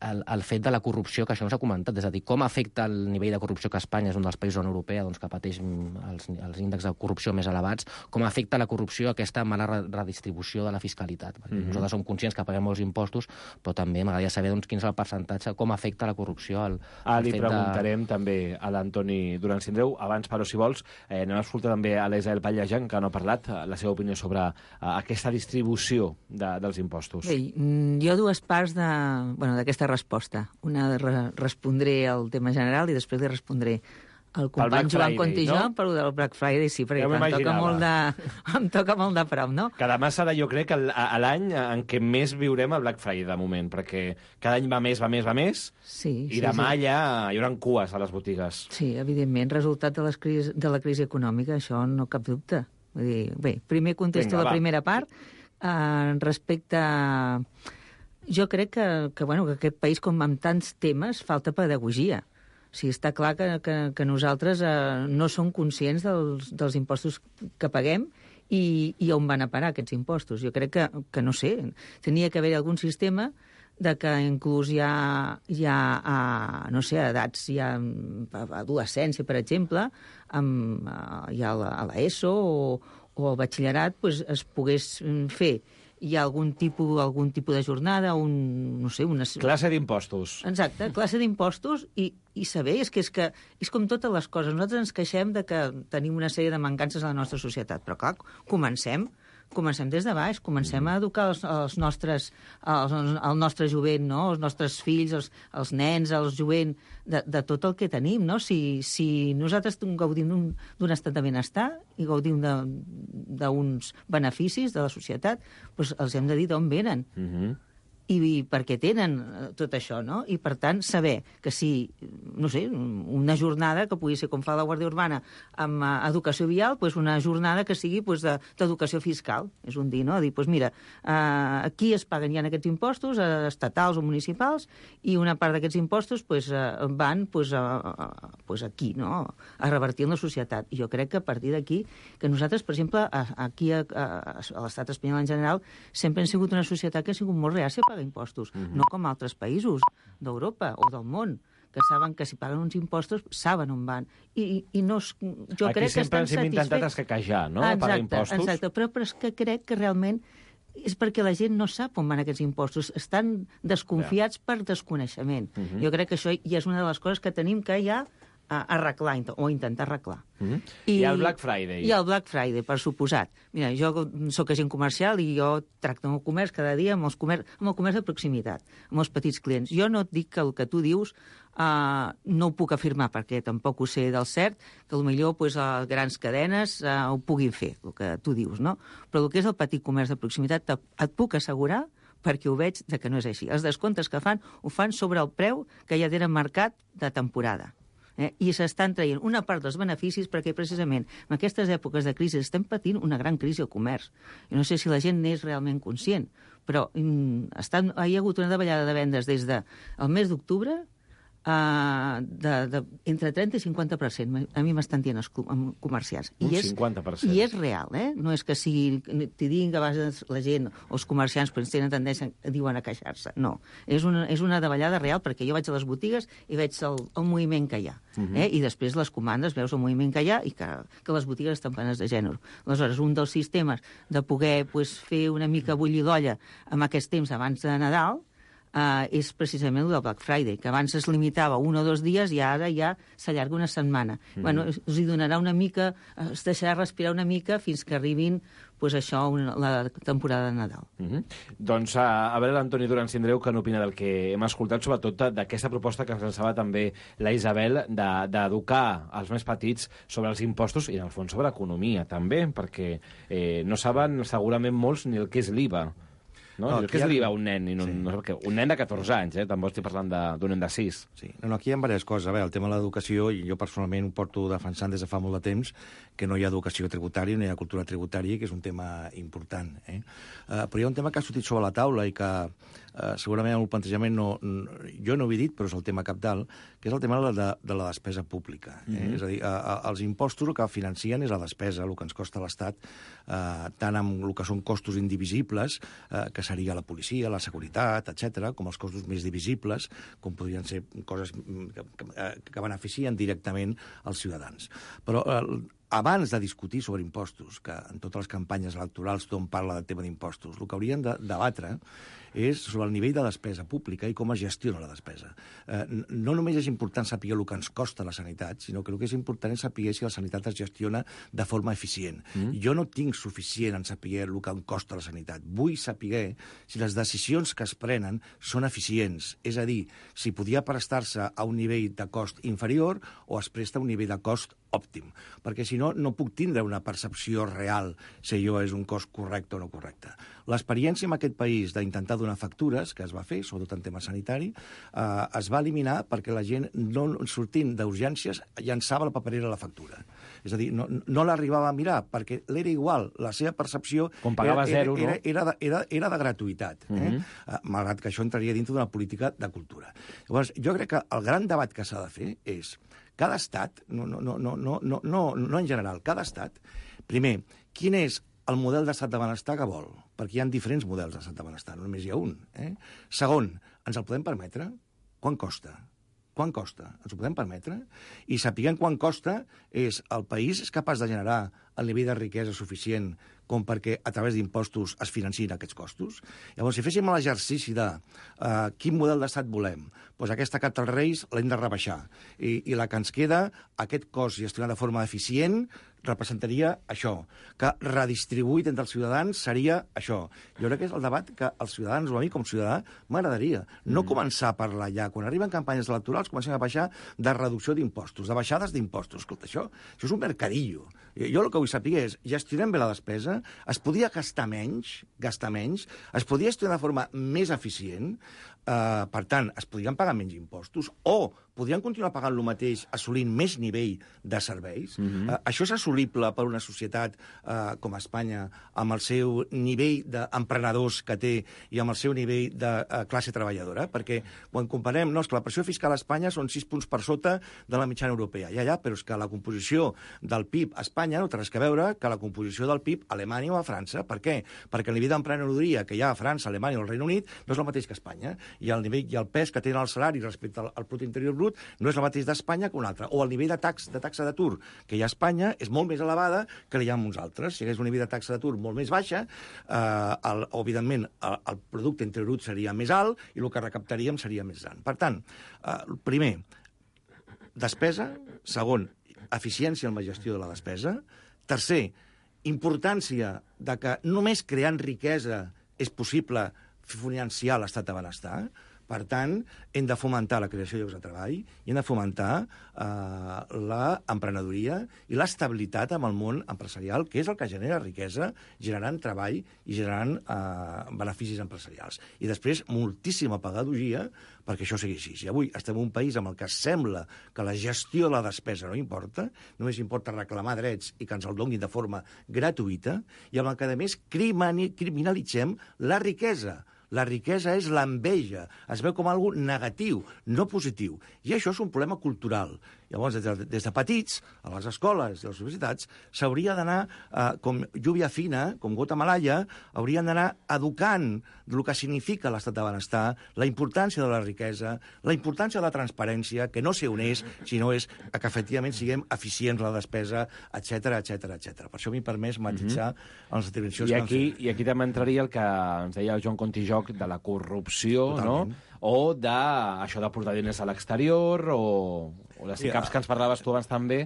el, el fet de la corrupció, que això no s'ha comentat, és a dir, com afecta el nivell de corrupció que Espanya és un dels països de la Unió Europea doncs, que pateix els, els índexs de corrupció més elevats, com afecta la corrupció aquesta mala redistribució de la fiscalitat. Perquè mm-hmm. nosaltres som conscients que paguem molts impostos, però també m'agradaria saber doncs, quin és el percentatge, com afecta la corrupció al, al ah, li fet preguntarem de... també a l'Antoni Duran Sindreu. Abans, però, si vols, eh, anem a escoltar també a l'Isabel Pallejà, que no ha parlat, la seva opinió sobre eh, aquesta distribució de, dels impostos. Bé, jo dues parts d'aquesta bueno, resposta. Una re respondré al tema general i després li respondré al company Joan Contijoc, no? Per del Black Friday, sí, perquè ja em, toca molt de, em toca molt de prop, no? Que demà serà, jo crec, a l'any en què més viurem el Black Friday, de moment, perquè cada any va més, va més, va més, sí, i sí, demà sí. ja hi haurà cues a les botigues. Sí, evidentment, resultat de, les crisis, de la crisi econòmica, això no cap dubte. Vull dir, bé, primer contesto Vinga, la va. primera part. Eh, respecte a... Jo crec que, que, bueno, que aquest país, com amb tants temes, falta pedagogia. O sigui, està clar que, que, que nosaltres eh, no som conscients dels, dels impostos que paguem i, i on van a parar aquests impostos. Jo crec que, que no sé, tenia que haver algun sistema de que inclús hi ha, hi ha a, no sé, a edats, hi ha a adolescència, per exemple, amb, hi ha a l'ESO o, o al batxillerat, pues, es pogués fer hi ha algun tipus, algun tipus de jornada, un, no sé, una... Classe d'impostos. Exacte, classe d'impostos i, i saber, és que, és que és com totes les coses. Nosaltres ens queixem de que tenim una sèrie de mancances a la nostra societat, però clar, comencem, comencem des de baix, comencem a educar els, els nostres, els, el nostre jovent, no? Els nostres fills, els, els nens, els jovent, de, de tot el que tenim, no? Si, si nosaltres gaudim d'un estat de benestar i gaudim d'uns beneficis de la societat, doncs els hem de dir d'on venen. Mm-hmm. I, i perquè tenen tot això, no? I, per tant, saber que si, no sé, una jornada que pugui ser com fa la Guàrdia Urbana amb uh, educació vial, doncs una jornada que sigui pues, d'educació fiscal, és un dir, no? A dir, doncs mira, uh, aquí es paguen ja aquests impostos, uh, estatals o municipals, i una part d'aquests impostos pues, uh, van pues, uh, uh, pues aquí, no? A revertir en la societat. I jo crec que a partir d'aquí, que nosaltres, per exemple, aquí a, a, a l'estat espanyol en general, sempre hem sigut una societat que ha sigut molt reàcia a pagar impostos, mm-hmm. no com altres països d'Europa o del món, que saben que si paguen uns impostos saben on van. I, i, i no es, jo Aquí crec que estan sempre ens hem intentat escaquejar, no?, exacte, a pagar impostos. Exacte, però, però és que crec que realment és perquè la gent no sap on van aquests impostos. Estan desconfiats yeah. per desconeixement. Mm-hmm. Jo crec que això ja és una de les coses que tenim que ja a arreglar, o intentar arreglar. Mm-hmm. I, I el Black Friday. I el Black Friday, per suposat. Mira, jo sóc agent comercial i jo tracto amb el comerç cada dia, amb, els comerç, amb el comerç de proximitat, amb els petits clients. Jo no et dic que el que tu dius uh, no ho puc afirmar, perquè tampoc ho sé del cert, que potser pues, a grans cadenes uh, ho puguin fer, el que tu dius, no? Però el que és el petit comerç de proximitat et puc assegurar perquè ho veig de que no és així. Els descomptes que fan, ho fan sobre el preu que ja tenen marcat de temporada. Eh? I s'estan traient una part dels beneficis perquè precisament en aquestes èpoques de crisi estem patint una gran crisi al comerç. I no sé si la gent n'és realment conscient, però mm, estan, hi ha hagut una davallada de vendes des del de mes d'octubre Uh, de, de, entre trenta i cinquanta per cent. A mi m'estan dient els comerciants. Un I és, cinquanta per cent. I és real, eh? No és que sigui, t'hi diguin que a vegades la gent o els comerciants pues, tenen tendència, diuen a queixar-se. No, és una, és una davallada real perquè jo vaig a les botigues i veig el, el moviment que hi ha. Uh-huh. eh? I després les comandes veus el moviment que hi ha i que, que les botigues estan plenes de gènere. Aleshores, un dels sistemes de poder pues, fer una mica bullir l'olla en aquest temps abans de Nadal Uh, és precisament el del Black Friday, que abans es limitava un o dos dies i ara ja s'allarga una setmana. Mm-hmm. Bueno, us hi donarà una mica, es deixarà respirar una mica fins que arribin pues, això, una, la temporada de Nadal. Mm-hmm. Doncs a, a veure l'Antoni Duran Sindreu què n'opina del que hem escoltat, sobretot d'aquesta proposta que ens llançava també la Isabel d'educar de, els més petits sobre els impostos i, en el fons, sobre economia, també, perquè eh, no saben segurament molts ni el que és l'I V A. No? no què és l'I V A un nen? I no, sí. no sé què. Un nen de catorze anys, eh? També estic parlant d'un nen de sis. Sí. No, no, aquí hi ha diverses coses. A veure, el tema de l'educació, jo personalment ho porto defensant des de fa molt de temps, que no hi ha educació tributària, no hi ha cultura tributària, que és un tema important. Eh? Uh, però hi ha un tema que ha sortit sobre la taula i que uh, segurament el plantejament no, no, jo no ho he dit, però és el tema cabdal, que és el tema de la, de la despesa pública. Eh? Mm-hmm. És a dir, uh, uh, els impostos el que financien és la despesa, el que ens costa l'Estat, uh, tant amb el que són costos indivisibles, uh, que seria la policia, la seguretat, etcètera, com els costos més divisibles, com podrien ser coses que, que, que beneficien directament els ciutadans. Però eh, abans de discutir sobre impostos, que en totes les campanyes electorals tothom parla del tema d'impostos, el que hauríem de debatre és sobre el nivell de despesa pública i com es gestiona la despesa. Eh, no només és important saber el que ens costa la sanitat, sinó que el que és important és saber si la sanitat es gestiona de forma eficient. Mm. Jo no tinc suficient en saber el que em costa la sanitat. Vull saber si les decisions que es prenen són eficients. És a dir, si podia prestar-se a un nivell de cost inferior o es presta a un nivell de cost òptim. Perquè si no, no puc tindre una percepció real si allò és un cost correcte o no correcte. L'experiència en aquest país d'intentar donar factures, que es va fer, sobretot en tema sanitari, eh, es va eliminar perquè la gent, no sortint d'urgències, llançava la paperera a la factura. És a dir, no, no l'arribava a mirar, perquè l'era igual, la seva percepció com pagava era, zero, era, no? era, era, era, era de gratuïtat, eh? Mm-hmm. eh, malgrat que això entraria dintre d'una política de cultura. Llavors, jo crec que el gran debat que s'ha de fer és cada estat, no, no, no, no, no, no, no, no en general, cada estat, primer, quin és el model d'estat de benestar que vol? Perquè hi ha diferents models d'estat de benestar, no només hi ha un. Eh? Segon, ens el podem permetre? Quan costa? Quan costa? Ens ho podem permetre? I sapiguem quan costa, és el país és capaç de generar el nivell de riquesa suficient com perquè a través d'impostos es financin aquests costos. Llavors, si féssim l'exercici de uh, quin model d'estat volem, doncs aquesta carta als Reis l'hem de rebaixar. I, I la que ens queda, aquest cost gestionat de forma eficient, representaria això, que redistribuït entre els ciutadans seria això. Jo crec que és el debat que els ciutadans, o a mi com a ciutadà, m'agradaria. No mm. començar a parlar ja. Quan arriben campanyes electorals comencem a baixar de reducció d'impostos, de baixades d'impostos. Escolta, això, això és un mercadillo. Jo el que vull saber és, gestionem bé la despesa, es podia gastar menys, gastar menys, es podia gestionar de forma més eficient, eh, per tant, es podrien pagar menys impostos, o podrien continuar pagant el mateix assolint més nivell de serveis. Mm-hmm. eh, això és assolible per una societat eh, com Espanya, amb el seu nivell d'emprenedors que té i amb el seu nivell de eh, classe treballadora, perquè quan comparem, no, és que la pressió fiscal a Espanya són sis punts per sota de la mitjana europea. Ja, ja, però és que la composició del P I B a Espanya no té res a veure que la composició del P I B a Alemanya o a França. Per què? Perquè el nivell d'emprenedoria que hi ha a França, Alemanya o el Regne Unit no és el mateix que a Espanya. I el nivell i el pes que tenen el salari respecte al, al producte interior brut no és el mateix d'Espanya que un altre. O el nivell de, tax, de taxa d'atur que hi ha a Espanya és molt més elevada que hi ha en uns altres. Si hi hagués un nivell de taxa d'atur molt més baixa, eh, el, evidentment el, el producte interior brut seria més alt i el que recaptaríem seria més gran. Per tant, eh, primer, despesa. Segon, eficiència en la gestió de la despesa. Tercer, importància de que només creant riquesa és possible financiar l'estat de benestar. Per tant, hem de fomentar la creació de llocs de treball i hem de fomentar eh, l'emprenedoria i l'estabilitat amb el món empresarial, que és el que genera riquesa, generant treball i generant eh, beneficis empresarials. I després, moltíssima pedagogia perquè això sigui així. I avui estem en un país amb el que sembla que la gestió de la despesa no importa, només importa reclamar drets i que ens el donin de forma gratuïta, i amb el que, a més, criminalitzem la riquesa. La riquesa és l'enveja, es veu com algo negatiu, no positiu. I això és un problema cultural. Llavors, des de, des de petits, a les escoles i a les universitats, s'hauria d'anar, eh, com lluvia fina, com gota malaia, haurien d'anar educant del que significa l'estat de benestar, la importància de la riquesa, la importància de la transparència, que no sé on és, sinó és que efectivament siguem eficients en la despesa, etcètera, etcètera, etcètera. Per això m'he permès matisar mm-hmm. les intervencions I que aquí, han fet. I aquí també entraria el que ens deia el Joan Contijoc de la corrupció, Totalment. no? O de això de portar diners a l'exterior, o, o les I caps que ens parlaves tu abans també.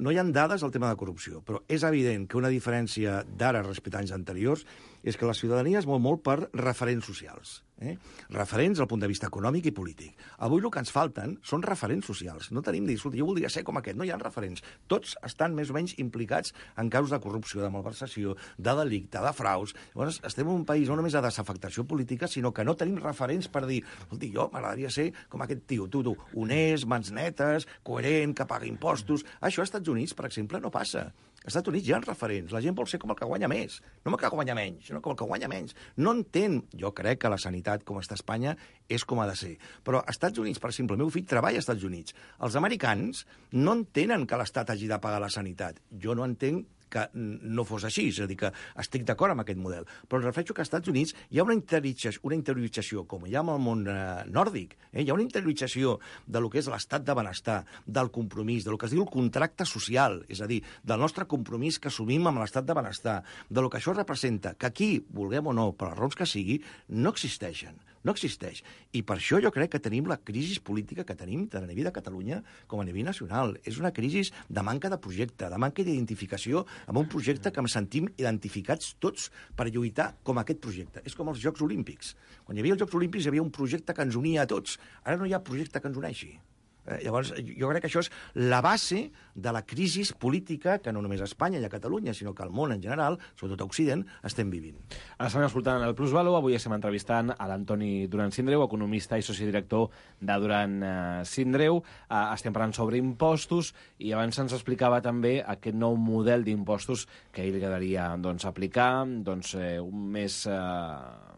No hi ha dades al tema de corrupció, però és evident que una diferència d'ara respecte a anys anteriors és que la ciutadania es mou molt per referents socials. Eh? Referents al punt de vista econòmic i polític. Avui el que ens falten són referents socials. No tenim dir, escolta, jo voldria ser com aquest. No hi ha referents. Tots estan més o menys implicats en casos de corrupció, de malversació, de delicte, de fraus. Llavors, estem en un país no només de desafectació política, sinó que no tenim referents per dir, escolta, jo m'agradaria ser com aquest tio, tu, tu, honest, mans netes, coherent, que paga impostos. Això als Estats Units, per exemple, no passa. Als Estats Units hi ha referents. La gent vol ser com el que guanya més. No el que guanya menys, sinó com el que guanya menys. No entén, jo crec que la sanitat com està a Espanya és com ha de ser. Però als Estats Units, per exemple, el meu fill treballa als Estats Units. Els americans no entenen que l'Estat hagi de pagar la sanitat. Jo no entenc que no fos així, és a dir, que estic d'acord amb aquest model. Però em refereixo que als Estats Units hi ha una interiorització, una interiorització com hi ha en el món eh, nòrdic, eh? Hi ha una interiorització de lo que és l'estat de benestar, del compromís, de lo que es diu el contracte social, és a dir, del nostre compromís que assumim amb l'estat de benestar, de lo que això representa, que aquí, vulguem o no, per les raons que sigui, no existeixen. No existeix. I per això jo crec que tenim la crisi política que tenim tant a nivell de Catalunya com a nivell nacional. És una crisi de manca de projecte, de manca d'identificació amb un projecte que ens sentim identificats tots per lluitar com aquest projecte. És com els Jocs Olímpics. Quan hi havia els Jocs Olímpics hi havia un projecte que ens unia a tots. Ara no hi ha projecte que ens uneixi. Eh, llavors, jo crec que això és la base de la crisi política que no només a Espanya i a Catalunya, sinó que al món en general, sobretot a Occident, estem vivint. Ara estem escoltant el Plusvalor. Avui estem entrevistant a l'Antoni Duran Sindreu, economista i sociodirector de Duran eh, Sindreu. Eh, estem parlant sobre impostos i abans ens explicava també aquest nou model d'impostos que ell li quedaria doncs, aplicar, doncs, eh, un més... Eh,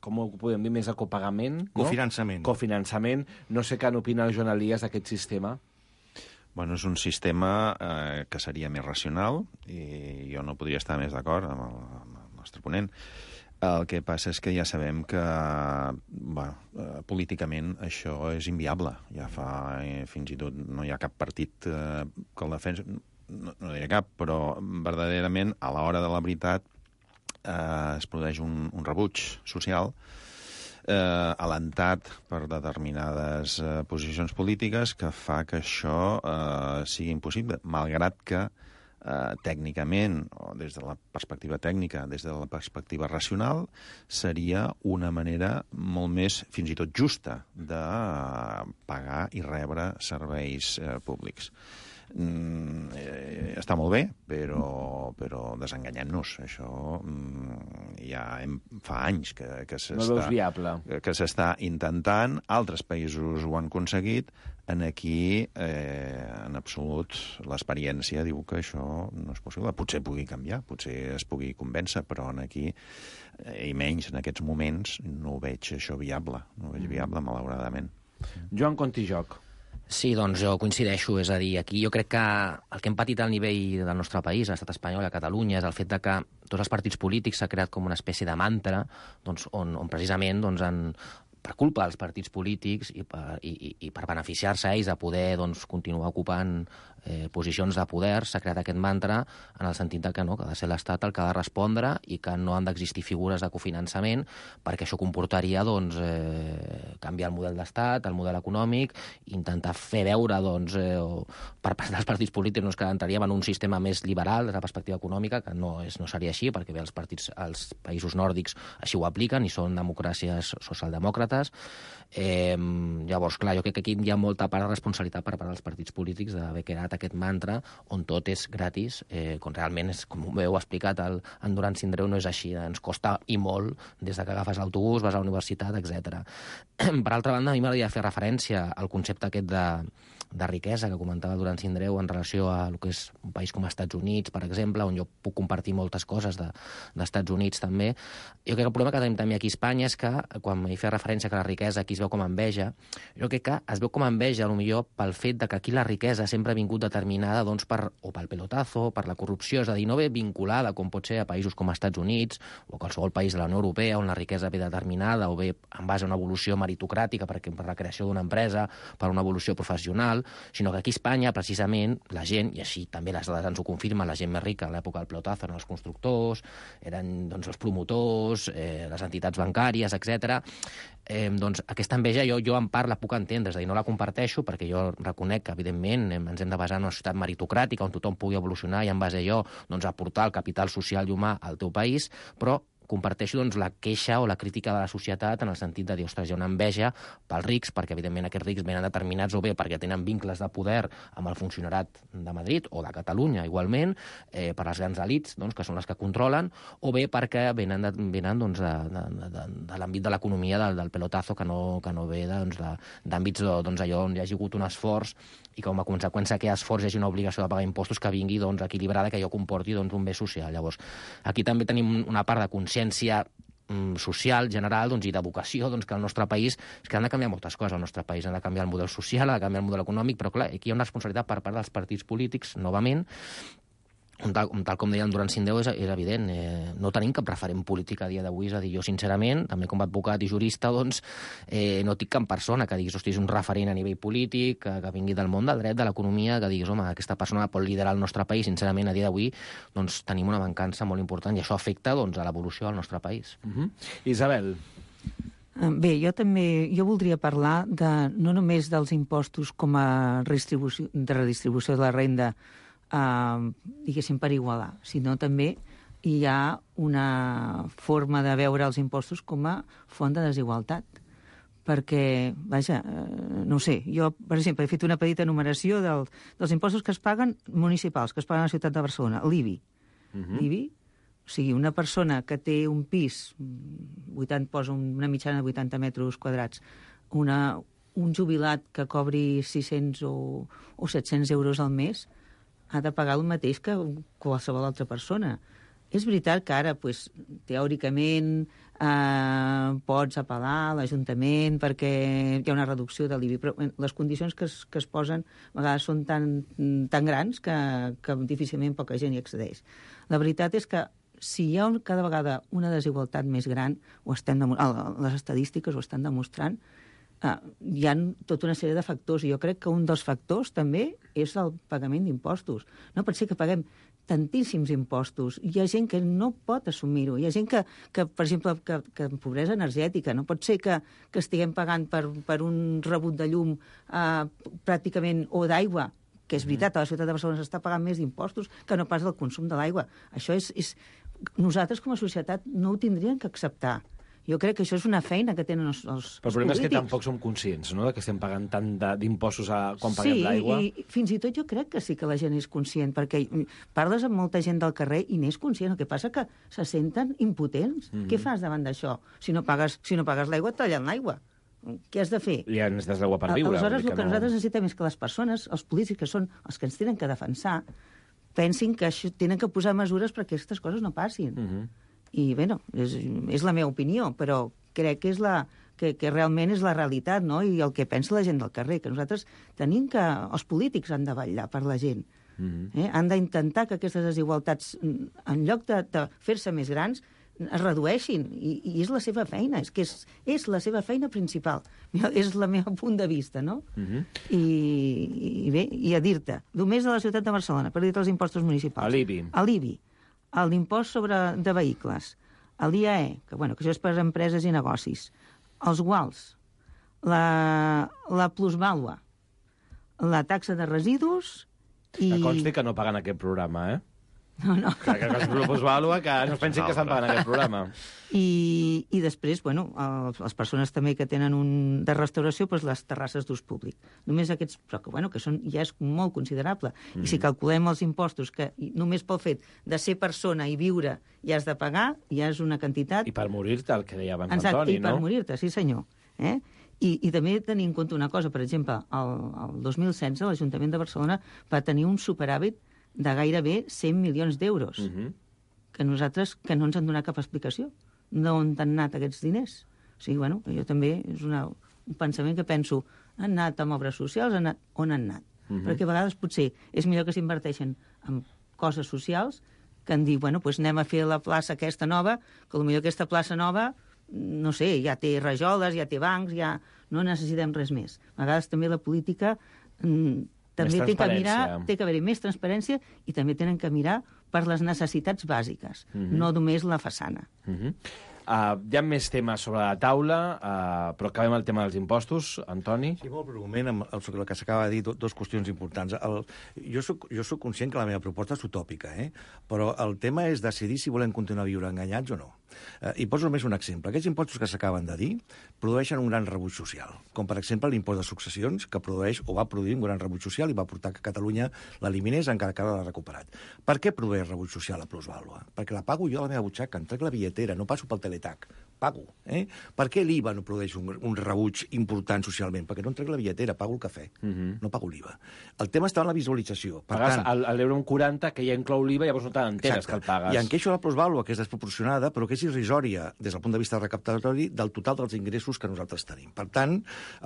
com ho podem dir, més a copagament? Cofinançament. No? Cofinançament. No sé què n'opina el Joan Elias d'aquest sistema. Bueno, és un sistema eh, que seria més racional i jo no podria estar més d'acord amb, amb el nostre ponent. El que passa és que ja sabem que bueno, eh, políticament això és inviable. Ja fa, eh, fins i tot, no hi ha cap partit eh, que el defensa, no, no diré cap, però verdaderament a l'hora de la veritat Eh, es produeix un, un rebuig social eh, alentat per determinades eh, posicions polítiques que fa que això eh, sigui impossible, malgrat que eh, tècnicament, o des de la perspectiva tècnica, des de la perspectiva racional, seria una manera molt més, fins i tot justa, de pagar i rebre serveis eh, públics. Mm, eh, està molt bé, però, però desenganyem-nos. Això mm, ja hem, fa anys que, que no veus viable. que s'està intentant, altres països ho han aconseguit, en aquí, eh, en absolut, l'experiència diu que això no és possible. Potser pugui canviar, potser es pugui convèncer, però en aquí, eh, i menys en aquests moments, no ho veig això viable, no ho veig viable, malauradament. Joan Contijoc. Sí, doncs jo coincideixo, és a dir, aquí jo crec que el que hem patit al nivell del nostre país, a l'estat espanyol i a Catalunya, és el fet de que tots els partits polítics s'ha creat com una espècie de mantra doncs, on, on precisament doncs, han, per culpa dels partits polítics i per, i, i per beneficiar-se ells de poder doncs, continuar ocupant eh, posicions de poder, s'ha creat aquest mantra en el sentit de que, no, que ha de ser l'Estat el que ha de respondre i que no han d'existir figures de cofinançament perquè això comportaria doncs, eh, canviar el model d'Estat, el model econòmic, intentar fer veure doncs, eh, o, per part dels partits polítics doncs, que entraríem en un sistema més liberal des de la perspectiva econòmica, que no, és, no seria així, perquè bé, els partits, els països nòrdics així ho apliquen i són democràcies socialdemòcrates. Eh, llavors, clar, jo crec que aquí hi ha molta part de responsabilitat per part dels partits polítics d'haver creat aquest mantra on tot és gratis, eh, quan realment, és, com heu explicat el, en Duran Sindreu, no és així, ens costa i molt des de que agafes l'autobús, vas a la universitat, etcètera. Per altra banda, a mi m'agradaria fer referència al concepte aquest de, de riquesa que comentava Duran Sindreu en relació a el que és un país com els Estats Units, per exemple, on jo puc compartir moltes coses de, d'Estats Units també. Jo crec que el problema que tenim també aquí a Espanya és que, quan hi feia referència que la riquesa aquí es veu com a enveja, jo crec que es veu com a enveja, potser pel fet de que aquí la riquesa sempre ha vingut determinada doncs, per, o pel pelotazo, per la corrupció, és a dir, no ve vinculada, com pot ser a països com els Estats Units o qualsevol país de la Unió Europea, on la riquesa ve determinada o ve en base a una evolució meritocràtica, perquè per la creació d'una empresa, per una evolució professional, sinó que aquí a Espanya, precisament, la gent, i així també les dades ens ho confirmen, la gent més rica a l'època del pelotazo eren els constructors, eren doncs, els promotors, eh, les entitats bancàries, etcètera. Eh, doncs aquesta enveja jo, jo en part la puc entendre, és a dir, no la comparteixo perquè jo reconec que, evidentment, ens hem de basar en una societat meritocràtica on tothom pugui evolucionar i en base a allò doncs, aportar el capital social i humà al teu país, però comparteixo doncs, la queixa o la crítica de la societat en el sentit de dir, ostres, hi ha una enveja pels rics, perquè evidentment aquests rics venen determinats o bé perquè tenen vincles de poder amb el funcionarat de Madrid o de Catalunya, igualment, eh, per les grans elits, doncs, que són les que controlen, o bé perquè venen, de, venen doncs, de, de, de, de l'àmbit de l'economia del, del pelotazo, que no, que no ve doncs, d'àmbits doncs, allò on hi hagi hagut un esforç i com a conseqüència que esforç hi hagi una obligació de pagar impostos que vingui doncs, equilibrada, que allò comporti doncs, un bé social. Llavors, aquí també tenim una part de consciència mm, social, general, doncs, i d'educació, doncs, que al nostre país és que han de canviar moltes coses. Al nostre país han de canviar el model social, ha de canviar el model econòmic, però clar, aquí hi ha una responsabilitat per part dels partits polítics, novament, Tal, tal com deia el Duran Sindreu, és, és evident, eh, no tenim cap referent polític a dia d'avui, és a dir, jo sincerament, també com a advocat i jurista, doncs, eh, no tinc cap persona que diguis, hosti, és un referent a nivell polític, que, que vingui del món del dret, de l'economia, que diguis, home, aquesta persona pot liderar el nostre país, sincerament, a dia d'avui, doncs, tenim una mancança molt important i això afecta, doncs, a l'evolució del nostre país. Uh-huh. Isabel. Bé, jo també jo voldria parlar de, no només dels impostos com a redistribució, de redistribució de la renda, Uh, diguéssim, per igualar, sinó també hi ha una forma de veure els impostos com a font de desigualtat. Perquè, vaja, uh, no ho sé, jo, per exemple, he fet una petita enumeració del, dels impostos que es paguen municipals, que es paguen a la ciutat de Barcelona. L'I B I. Uh-huh. L'I B I, o sigui, una persona que té un pis, vuitanta, posa una mitjana de vuitanta metres quadrats, una, un jubilat que cobri sis-cents o, o set-cents euros al mes, ha de pagar el mateix que qualsevol altra persona. És veritat que ara, pues, teòricament, eh, pots apel·lar a l'Ajuntament perquè hi ha una reducció de l'I B I, però les condicions que es, que es posen a vegades són tan, tan grans que, que difícilment poca gent hi accedeix. La veritat és que si hi ha un, cada vegada una desigualtat més gran, ho estem demo- les estadístiques ho estan demostrant, Uh, hi ha tota una sèrie de factors, i jo crec que un dels factors també és el pagament d'impostos. No pot ser que paguem tantíssims impostos. Hi ha gent que no pot assumir-ho. Hi ha gent que, que per exemple, que, que en pobresa energètica. No pot ser que, que estiguem pagant per, per un rebut de llum uh, pràcticament, o d'aigua, que és veritat, a la ciutat de Barcelona s'està pagant més d'impostos que no pas del consum de l'aigua. Això és, és... Nosaltres, com a societat, no ho tindríem que acceptar. Jo crec que això és una feina que tenen els, els, Però el problema és que tampoc som conscients, no?, de que estem pagant tant d'impostos quan paguem l'aigua. Sí, i fins i tot jo crec que sí que la gent és conscient, perquè parles amb molta gent del carrer i n'és conscient. El que passa que se senten impotents. Mm-hmm. Què fas davant d'això? Si no pagues, si no pagues l'aigua, et tallen l'aigua. Què has de fer? Ja necessites l'aigua per viure. Aleshores, el que no... nosaltres necessitem és que les persones, els polítics, que són els que ens tenen que defensar, pensin que això, tenen que posar mesures perquè aquestes coses no passin. Mm-hmm. I, bé, no, és, és la meva opinió, però crec que és la... Que, que realment és la realitat, no?, i el que pensa la gent del carrer, que nosaltres tenim que... Els polítics han de vetllar per la gent. Mm-hmm. eh? Han d'intentar que aquestes desigualtats, en lloc de, de fer-se més grans, es redueixin, i, i és la seva feina, és que és, és la seva feina principal. És la meva punt de vista, no? Mm-hmm. I, I bé, i a dir-te, només a la ciutat de Barcelona, per dir-te els impostos municipals. A l'I B I. A l'I B I. L'impost sobre de vehicles, l'I A E, que, bueno, que això és per a empreses i negocis, els guals, la, la plusvàlua, la taxa de residus i... Que consti que no paguen aquest programa, eh? No, no. Que, que, que es plusvàlua, que no es pensin que estan pagant aquest programa. I, i després, bueno, els, les persones també que tenen un de restauració, doncs les terrasses d'ús públic. Només aquests, però que, bueno, que són, ja és molt considerable. Mm. I si calculem els impostos, que només pel fet de ser persona i viure ja has de pagar, ja és una quantitat... I per morir-te, el que deia abans Exacte, Antoni, no? I per no? morir-te, sí senyor. Eh? I, I també tenir en compte una cosa, per exemple, el, el dos mil setze l'Ajuntament de Barcelona va tenir un superàvit de gairebé cent milions d'euros, uh-huh. que nosaltres, que no ens han donat cap explicació d'on han anat aquests diners. O sigui, bueno, jo també és una, un pensament que penso, han anat amb obres socials, han anat, on han anat? Uh-huh. Perquè a vegades potser és millor que s'inverteixen en coses socials que en dir, bueno, doncs anem a fer la plaça aquesta nova, que potser aquesta plaça nova, no sé, ja té rajoles, ja té bancs, ja no necessitem res més. A vegades també la política... Mm, també té que mirar, té que haver-hi més transparència i també tenen que mirar per les necessitats bàsiques, mm-hmm. no només la façana. Mm-hmm. Uh, hi ha més temes sobre la taula, uh, però acabem el tema dels impostos. Antoni? Sí, molt breument, amb el, el que s'acaba de dir, do, dos qüestions importants. El, jo, soc, jo soc conscient que la meva proposta és utòpica, eh? Però el tema és decidir si volem continuar a viure enganyats o no. Uh, I poso només un exemple. Aquests impostos que s'acaben de dir produeixen un gran rebuig social, com per exemple l'impost de successions, que produeix o va produir un gran rebuig social i va portar que Catalunya l'eliminés encara que ara l'ha recuperat. Per què produeix rebuig social la plusvàlua? Perquè la pago jo a la meva butxaca, em trec la billetera, no passo pel teletac, pago. Eh? Per què l'I V A no produeix un, un rebuig important socialment? Perquè no em trec la billetera, pago el cafè, uh-huh. no pago l'I V A. El tema està en la visualització. Per Pagues tant, l'euro un quaranta, que ja inclou l'I V A, llavors no t'enteres que el pagues. I en queixo la plusvàlua, que és desproporcionada, però que és irrisòria des del punt de vista recaptatori del total dels ingressos que nosaltres tenim. Per tant,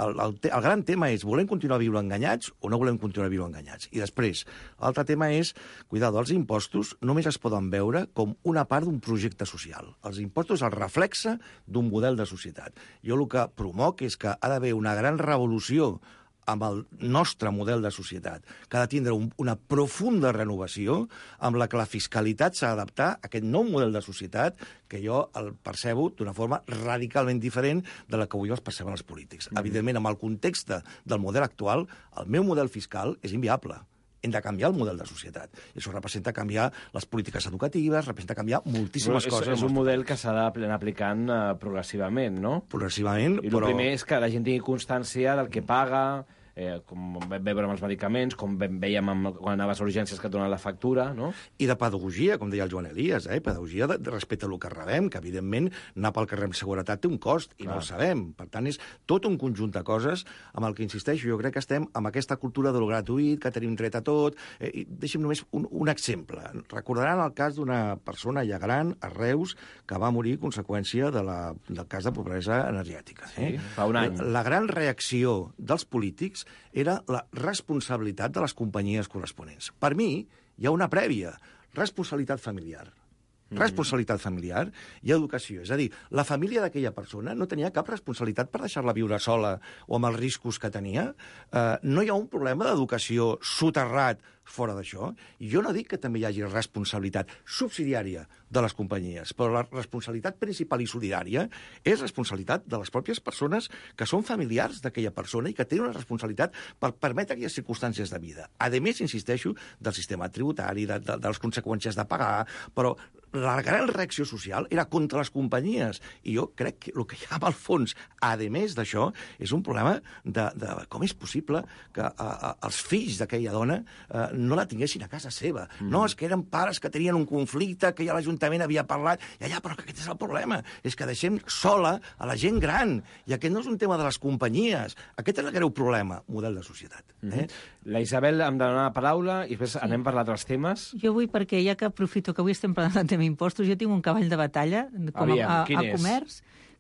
el, el, te, el gran tema és, volem continuar a viure enganyats o no volem continuar a viure enganyats? I després, l'altre tema és, cuidado, els impostos només es poden veure com una part d'un projecte social. Els impostos, el reflexe d'un model de societat. Jo el que promoc és que ha d'haver una gran revolució amb el nostre model de societat, que ha de tindre un, una profunda renovació amb la que la fiscalitat s'ha d'adaptar a aquest nou model de societat que jo el percebo d'una forma radicalment diferent de la que avui els perceben els polítics. Mm-hmm. Evidentment, amb el context del model actual, el meu model fiscal és inviable. Hem de canviar el model de societat. I això representa canviar les polítiques educatives, representa canviar moltíssimes però coses. És, és un model que s'ha d'anar aplicant uh, progressivament, no? Progressivament, I però... el primer és que la gent tingui constància del que paga, eh, com vam veure amb els medicaments, com veiem amb, quan anaves a urgències que et donen la factura, no? I de pedagogia, com deia el Joan Elias, eh? pedagogia de, de respecte al que rebem, que evidentment anar pel carrer amb seguretat té un cost, i Clar. no el sabem. Per tant, és tot un conjunt de coses amb el que insisteixo. Jo crec que estem amb aquesta cultura de lo gratuït, que tenim dret a tot. Eh, i deixem només un, un exemple. Recordaran el cas d'una persona ja gran, a Reus, que va morir a conseqüència de la, del cas de pobresa energètica. Eh? Sí, fa un any. La, la gran reacció dels polítics era la responsabilitat de les companyies corresponents. Per mi, hi ha una prèvia, responsabilitat familiar. Mm-hmm. Responsabilitat familiar i educació. És a dir, la família d'aquella persona no tenia cap responsabilitat per deixar-la viure sola o amb els riscos que tenia. Uh, no hi ha un problema d'educació soterrat fora d'això. I jo no dic que també hi hagi responsabilitat subsidiària de les companyies, però la responsabilitat principal i solidària és responsabilitat de les pròpies persones que són familiars d'aquella persona i que tenen una responsabilitat per permetre aquelles circumstàncies de vida. A més, insisteixo, del sistema tributari, de, de, de les conseqüències de pagar, però la gran reacció social era contra les companyies. I jo crec que el que hi ha al fons, a més d'això, és un problema de, de com és possible que a, a, els fills d'aquella dona a, no la tinguessin a casa seva. Mm. No, és que eren pares que tenien un conflicte, que ja l'Ajuntament havia parlat, i allà, però que aquest és el problema. És que deixem sola a la gent gran. I aquest no és un tema de les companyies. Aquest és el greu problema, model de societat. Eh? Mm-hmm. La Isabel em dona la paraula i després sí. anem per altres temes. Jo vull, perquè ja que aprofito que avui estem parlant del tema impostos, jo tinc un cavall de batalla com Aviam, a, a, quin a és? comerç,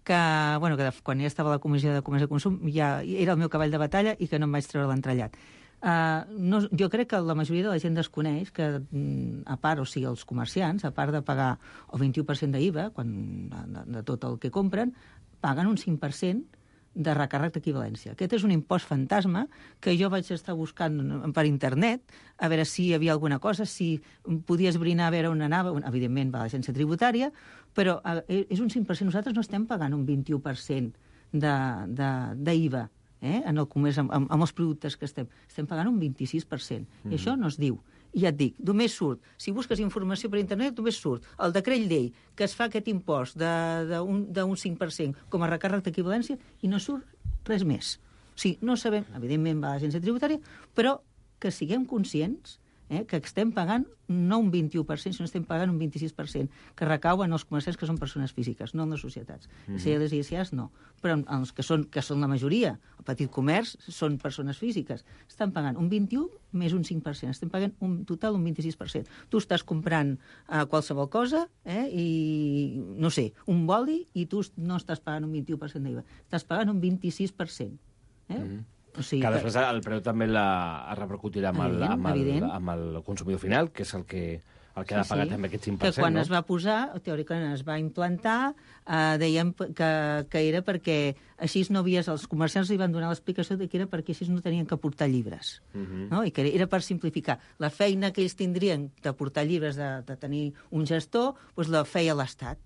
que, bueno, que quan ja estava a la Comissió de Comerç i Consum ja era el meu cavall de batalla i que no em vaig treure l'entrellat. Uh, no, jo crec que la majoria de la gent desconeix que, a part, o sigui, els comerciants, a part de pagar el vint-i-u per cent d'I V A, quan, de, de tot el que compren, paguen un cinc per cent de recàrrec d'equivalència. Aquest és un impost fantasma que jo vaig estar buscant per internet a veure si hi havia alguna cosa, si podia esbrinar a veure on anava. Evidentment va a l'agència tributària, però és un cinc per cent. Nosaltres no estem pagant un vint-i-u per cent d'I V A eh, en el comerç, amb, amb, amb els productes que estem. Estem pagant un vint-i-sis per cent. Mm-hmm. I això no es diu. I ja et dic, només surt, si busques informació per internet, només surt el decret llei que es fa aquest impost d'un cinc per cent com a recàrrec d'equivalència i no surt res més. O sigui, no sabem, evidentment va a l'agència tributària, però que siguem conscients eh, que estem pagant no un vint-i-u per cent, sinó estem pagant un vint-i-sis per cent, que recauen els comerciants que són persones físiques, no en les societats. Mm-hmm. Si les I S As, no. Però els que són, que són la majoria, el petit comerç, són persones físiques. Estan pagant un vint-i-u més un cinc per cent. Estem pagant un total un vint-i-sis per cent. Tu estàs comprant uh, qualsevol cosa eh, i, no sé, un boli i tu no estàs pagant un vint-i-u per cent d'I V A. Estàs pagant un vint-i-sis per cent. Eh? Mm-hmm. O sigui que després el preu també la, es repercutirà amb el, amb, el, amb el consumidor final, que és el que, el que sí, ha de pagar sí. també aquest cinc per cent. Que quan no? es va posar, teòricament es va implantar, eh, dèiem que, que era perquè així no havies, els comerciants li van donar l'explicació de que era perquè així no tenien que portar llibres. Uh-huh. No? I que era per simplificar. La feina que ells tindrien de portar llibres, de, de tenir un gestor, doncs la feia l'Estat.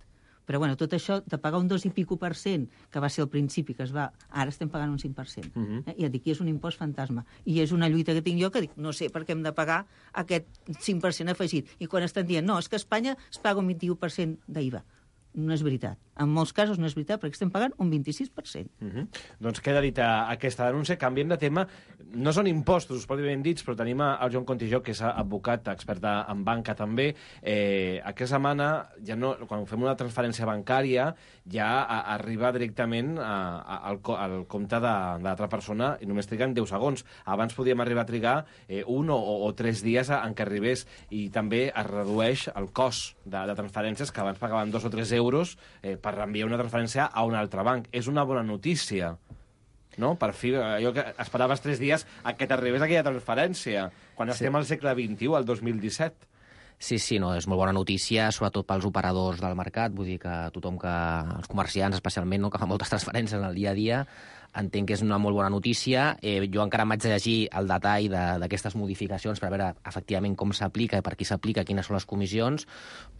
Però, bueno, tot això, de pagar un dos i pico per cent, que va ser al principi, que es va... Ara estem pagant un cinc per cent. Uh-huh. eh? I et dic, és un impost fantasma. I és una lluita que tinc jo que dic, no sé per què hem de pagar aquest cinc per cent afegit. I quan estan dient, no, és que a Espanya es paga un vint-i-u per cent d'I V A. No és veritat. En molts casos no és veritat, perquè estem pagant un vint-i-sis per cent. Uh-huh. Doncs queda dita aquesta denúncia. Canviem de tema. No són impostos, us pot dir ben dits, però tenim el Joan Contijó, que és advocat, expert en banca també. Eh, aquesta setmana, ja no, quan fem una transferència bancària, ja a, arriba directament a, a, al, al compte de, de l'altra persona i només triguen deu segons. Abans podíem arribar a trigar eh, un o, o tres dies en què arribés. I també es redueix el cost de, de transferències, que abans pagaven dos o tres euros eh, per enviar una transferència a un altre banc. És una bona notícia, no? Per fi, allò que esperaves tres dies a que t'arribés aquella transferència, quan sí. estem al segle vint-i-u, al dos mil disset. Sí, sí, no, és molt bona notícia, sobretot pels operadors del mercat, vull dir que tothom que, els comerciants especialment, no, que fan moltes transferències en el dia a dia, entenc que és una molt bona notícia. Eh, jo encara m'haig de llegir el detall d'aquestes modificacions per veure efectivament com s'aplica i per qui s'aplica, quines són les comissions,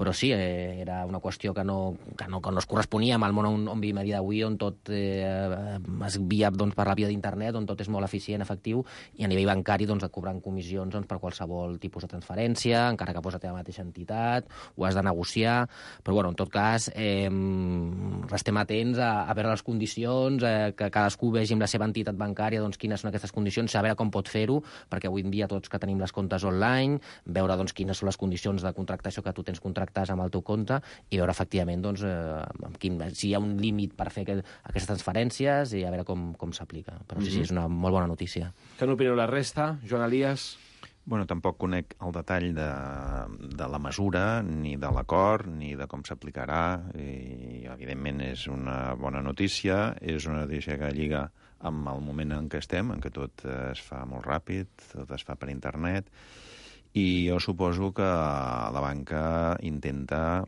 però sí, eh, era una qüestió que no, que no, que no es corresponia amb el món on, on vivim a dia d'avui, on tot eh, es via doncs, per la via d'internet, on tot és molt eficient, efectiu, i a nivell bancari doncs, et cobren comissions doncs, per qualsevol tipus de transferència, encara que posa la mateixa entitat, ho has de negociar, però bueno, en tot cas eh, restem atents a, a veure les condicions, eh, que cadascú vegi amb la seva entitat bancària doncs, quines són aquestes condicions, saber com pot fer-ho, perquè avui en dia tots que tenim les comptes online, veure doncs, quines són les condicions de contractació que tu tens contractades amb el teu compte i veure efectivament doncs, eh, quin, si hi ha un límit per fer aquest, aquestes transferències i a veure com, com s'aplica. Però sí, sí, és una molt bona notícia. Què n'opineu la resta? Joan Elias? Bueno, tampoc conec el detall de, de la mesura, ni de l'acord, ni de com s'aplicarà, i evidentment és una bona notícia, és una notícia que lliga amb el moment en què estem, en què tot es fa molt ràpid, tot es fa per internet, i jo suposo que la banca intenta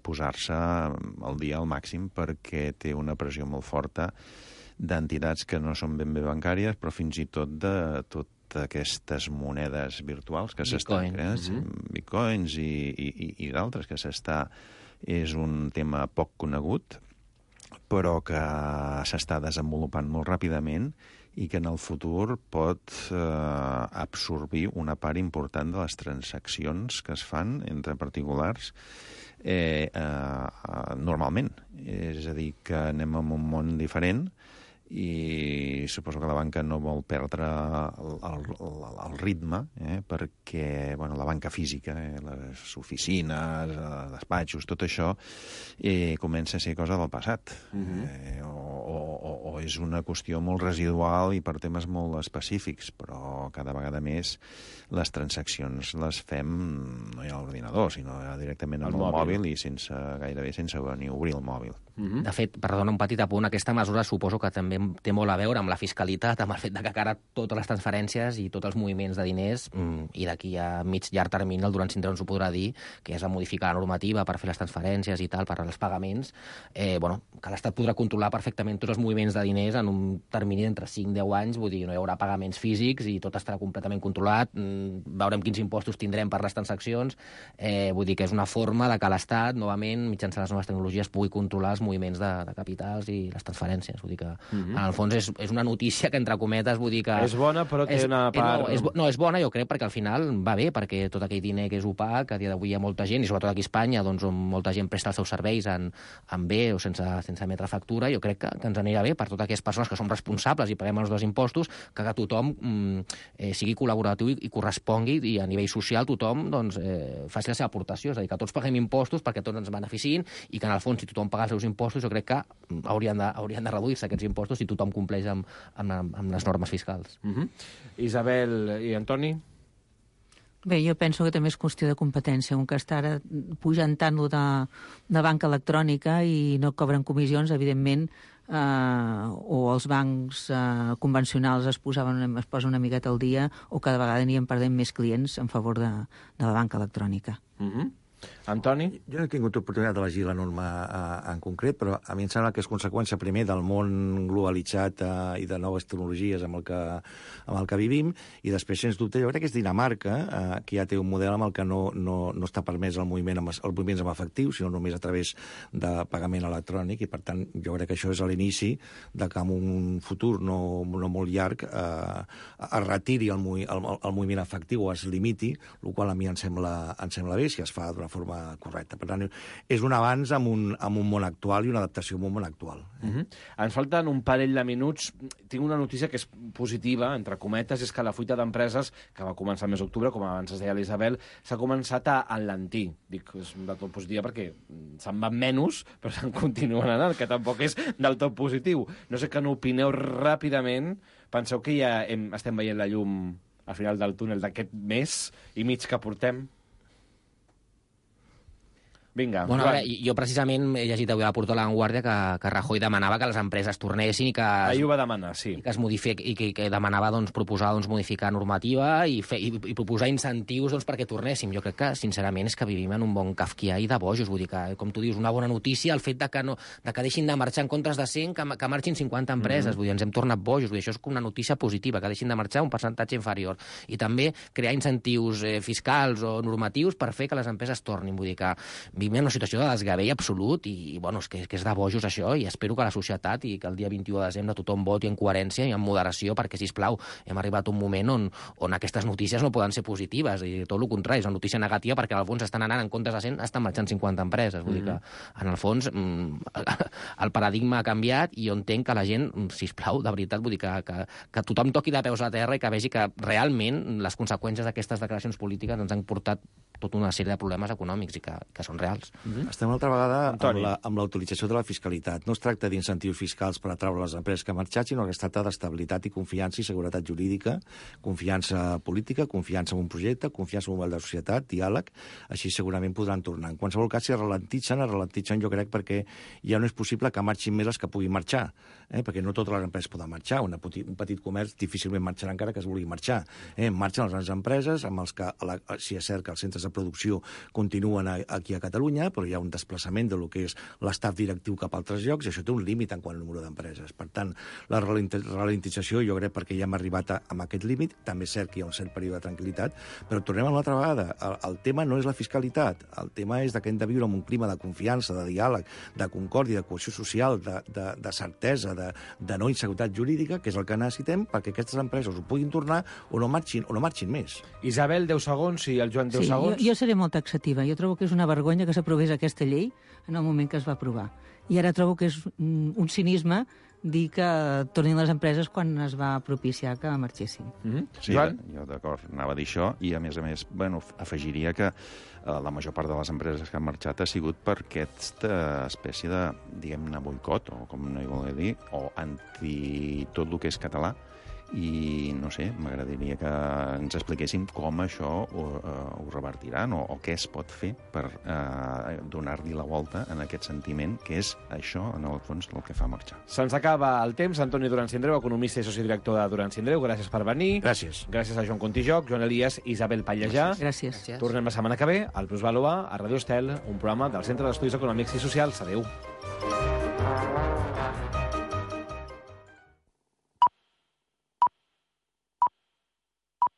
posar-se al dia al màxim perquè té una pressió molt forta d'entitats que no són ben bé bancàries, però fins i tot de tot aquestes monedes virtuals que s'estan creant, mm-hmm. bitcoins i, i, i d'altres, que s'està... És un tema poc conegut, però que s'està desenvolupant molt ràpidament i que en el futur pot eh, absorbir una part important de les transaccions que es fan entre particulars eh, eh, normalment. És a dir, que anem en un món diferent i suposo que la banca no vol perdre el, el, el ritme, eh, perquè bueno, la banca física, eh, les oficines, els despatxos, tot això eh, comença a ser cosa del passat. Mm-hmm. eh, o, o, o és una qüestió molt residual i per temes molt específics, però cada vegada més les transaccions les fem no ja a l'ordinador, sinó directament amb el, el mòbil. mòbil i sense, gairebé sense ni obrir el mòbil. Mm-hmm. De fet, perdona un petit apunt, aquesta mesura suposo que també té molt a veure amb la fiscalitat, amb el fet de que ara totes les transferències i tots els moviments de diners, mm, i d'aquí a mig llarg termini el Durán Sindreu ens ho podrà dir, que és a modificar la normativa per fer les transferències i tal, per als pagaments, eh, bueno, que l'Estat podrà controlar perfectament tots els moviments de diners en un termini d'entre cinc a deu anys, vull dir, no hi haurà pagaments físics i tot estarà completament controlat, mm, veurem quins impostos tindrem per les transaccions, eh, vull dir que és una forma de que l'Estat, novament, mitjançant les noves tecnologies, pugui controlar els moviments de, de capitals i les transferències, vull dir que, mm-hmm. en el fons, és, és una notícia que, entre cometes, vull dir que... És bona, però té és, una part... No és, no, és bona, jo crec, perquè al final va bé, perquè tot aquell diner que és opac, a dia d'avui hi ha molta gent, i sobretot aquí a Espanya, doncs, on molta gent presta els seus serveis en, en bé o sense, sense emetre factura, jo crec que, que ens anirà bé per totes aquelles persones que som responsables i paguem els dos impostos, que, que tothom mm, eh, sigui col·laboratiu i, i correspongui, i a nivell social tothom doncs, eh, faci la seva aportació, és a dir, que tots paguem impostos perquè tots ens beneficien, i que, en el fons, si tothom paga els seus impostos, jo crec que haurien de, haurien de reduir-se aquests impostos si tothom compleix amb, amb, amb les normes fiscals. Mm-hmm. Isabel i Antoni? Bé, jo penso que també és qüestió de competència. Un que està ara pujant tant de, de banca electrònica i no cobren comissions, evidentment, eh, o els bancs eh, convencionals es, posaven, es posen una miqueta al dia, o cada vegada anirien perdent més clients en favor de, de la banca electrònica. Mm-hmm. Antoni? Jo no he tingut oportunitat de llegir la norma eh, en concret, però a mi em sembla que és conseqüència primer del món globalitzat eh, i de noves tecnologies amb el, que, amb el que vivim, i després, sens dubte, jo crec que és Dinamarca, eh, que ja té un model amb el que no, no, no està permès el moviment amb, el moviments amb efectiu, sinó només a través de pagament electrònic, i per tant jo crec que això és l'inici de que en un futur no, no molt llarg eh, es retiri el, el, el moviment efectiu o es limiti, el qual a mi em sembla, em sembla bé si es fa d'una forma correcta. Per tant, és un avanç amb un, amb un món actual i una adaptació a un món actual. Mm-hmm. Ens falten un parell de minuts. Tinc una notícia que és positiva, entre cometes, és que la fuita d'empreses, que va començar el mes d'octubre, com abans es deia l'Isabel, s'ha començat a enlentir. Dic, és del tot positiva perquè se'n van menys, però se'n continuen anant, que tampoc és del tot positiu. No sé què n'opineu ràpidament. Penseu que ja hem, estem veient la llum al final del túnel d'aquest mes i mig que portem? Vinga, bueno, a veure, jo precisament he llegit avui a la portada de La Vanguardia que, que Rajoy demanava que les empreses tornessin i que... Ahir ho va demanar, sí. I que es modific, i que, que demanava doncs, proposar doncs, modificar normativa i, fer, i, i proposar incentius doncs, perquè tornéssim. Jo crec que, sincerament, és que vivim en un bon kafkià i de bojos. Vull dir que, com tu dius, una bona notícia el fet de que, no, de que deixin de marxar en comptes de cent, que, que marxin cinquanta empreses. Mm-hmm. Vull dir, ens hem tornat bojos. Vull dir, això és com una notícia positiva, que deixin de marxar un percentatge inferior. I també crear incentius eh, fiscals o normatius per fer que les empreses tornin. Vull dir que vivim en una situació de desgavell absolut i, i bueno, és que, que és de bojos això, i espero que la societat i que el dia vint-i-u de desembre tothom voti en coherència i en moderació, perquè, sisplau, hem arribat a un moment on, on aquestes notícies no poden ser positives, i tot el contrari, és una notícia negativa perquè al fons estan anant en comptes de cent, estan marxant cinquanta empreses. Vull mm-hmm. dir que, en el fons, el paradigma ha canviat i jo entenc que la gent, sisplau, de veritat, vull dir que, que, que tothom toqui de peus a terra i que vegi que realment les conseqüències d'aquestes declaracions polítiques ens han portat tota una sèrie de problemes econòmics i que, que són reals. Mm-hmm. Estem una altra vegada Antoni. amb la utilització de la fiscalitat. No es tracta d'incentius fiscals per atraure les empreses que han marxat, sinó que es tracta d'estabilitat i confiança i seguretat jurídica, confiança política, confiança en un projecte, confiança en un model de societat, diàleg, així segurament podran tornar. En qualsevol cas, si es ralentitzen, es ralentitzen jo crec perquè ja no és possible que marxin més les que puguin marxar, eh? perquè no totes les empreses poden marxar. Una petit, un petit comerç difícilment marxarà encara que es vulgui marxar. Eh? Marxen les grans empreses, amb els que, la, si és cert que els centres de producció continuen a, aquí a Catalunya, però hi ha un desplaçament de lo que és l'estaf directiu cap a altres llocs, i això té un límit en quant al número d'empreses. Per tant, la ralentització, jo crec, perquè ja hem arribat a, a aquest límit, també és cert que hi ha un cert període de tranquil·litat, però tornem a una altra vegada. El, el tema no és la fiscalitat, el tema és que hem de viure en un clima de confiança, de diàleg, de concòrdia, de cohesió social, de, de, de certesa, de, de no inseguretat jurídica, que és el que necessitem perquè aquestes empreses ho puguin tornar o no marxin, o no marxin més. Isabel, deu segons, i el Joan, deu sí, segons. Jo, jo seré molt taxativa. Jo trobo que és una vergonya que s'aprovés aquesta llei en el moment que es va aprovar. I ara trobo que és un cinisme dir que tornin les empreses quan es va propiciar que marxessin. Mm-hmm. Sí, Joan? Jo d'acord, anava a dir això, i a més a més, bueno, afegiria que eh, la major part de les empreses que han marxat ha sigut per aquesta espècie de, diguem-ne, boicot, o com no hi volia dir, o anti tot el que és català, i no sé, m'agradaria que ens expliquéssim com això ho, uh, ho revertiran o, o què es pot fer per uh, donar-li la volta en aquest sentiment que és això, en el fons, el que fa marxar. Se'ns acaba el temps. Antoni Duran Sindreu, economista i soci director de Duran Sindreu, gràcies per venir. Gràcies. Gràcies a Joan Contijoc, Joan Elias, Isabel Pallejà. Gràcies. Gràcies. Tornem la setmana que ve al Plusvalua, a Radio Estel, un programa del Centre d'Estudis Econòmics i Socials. Adéu.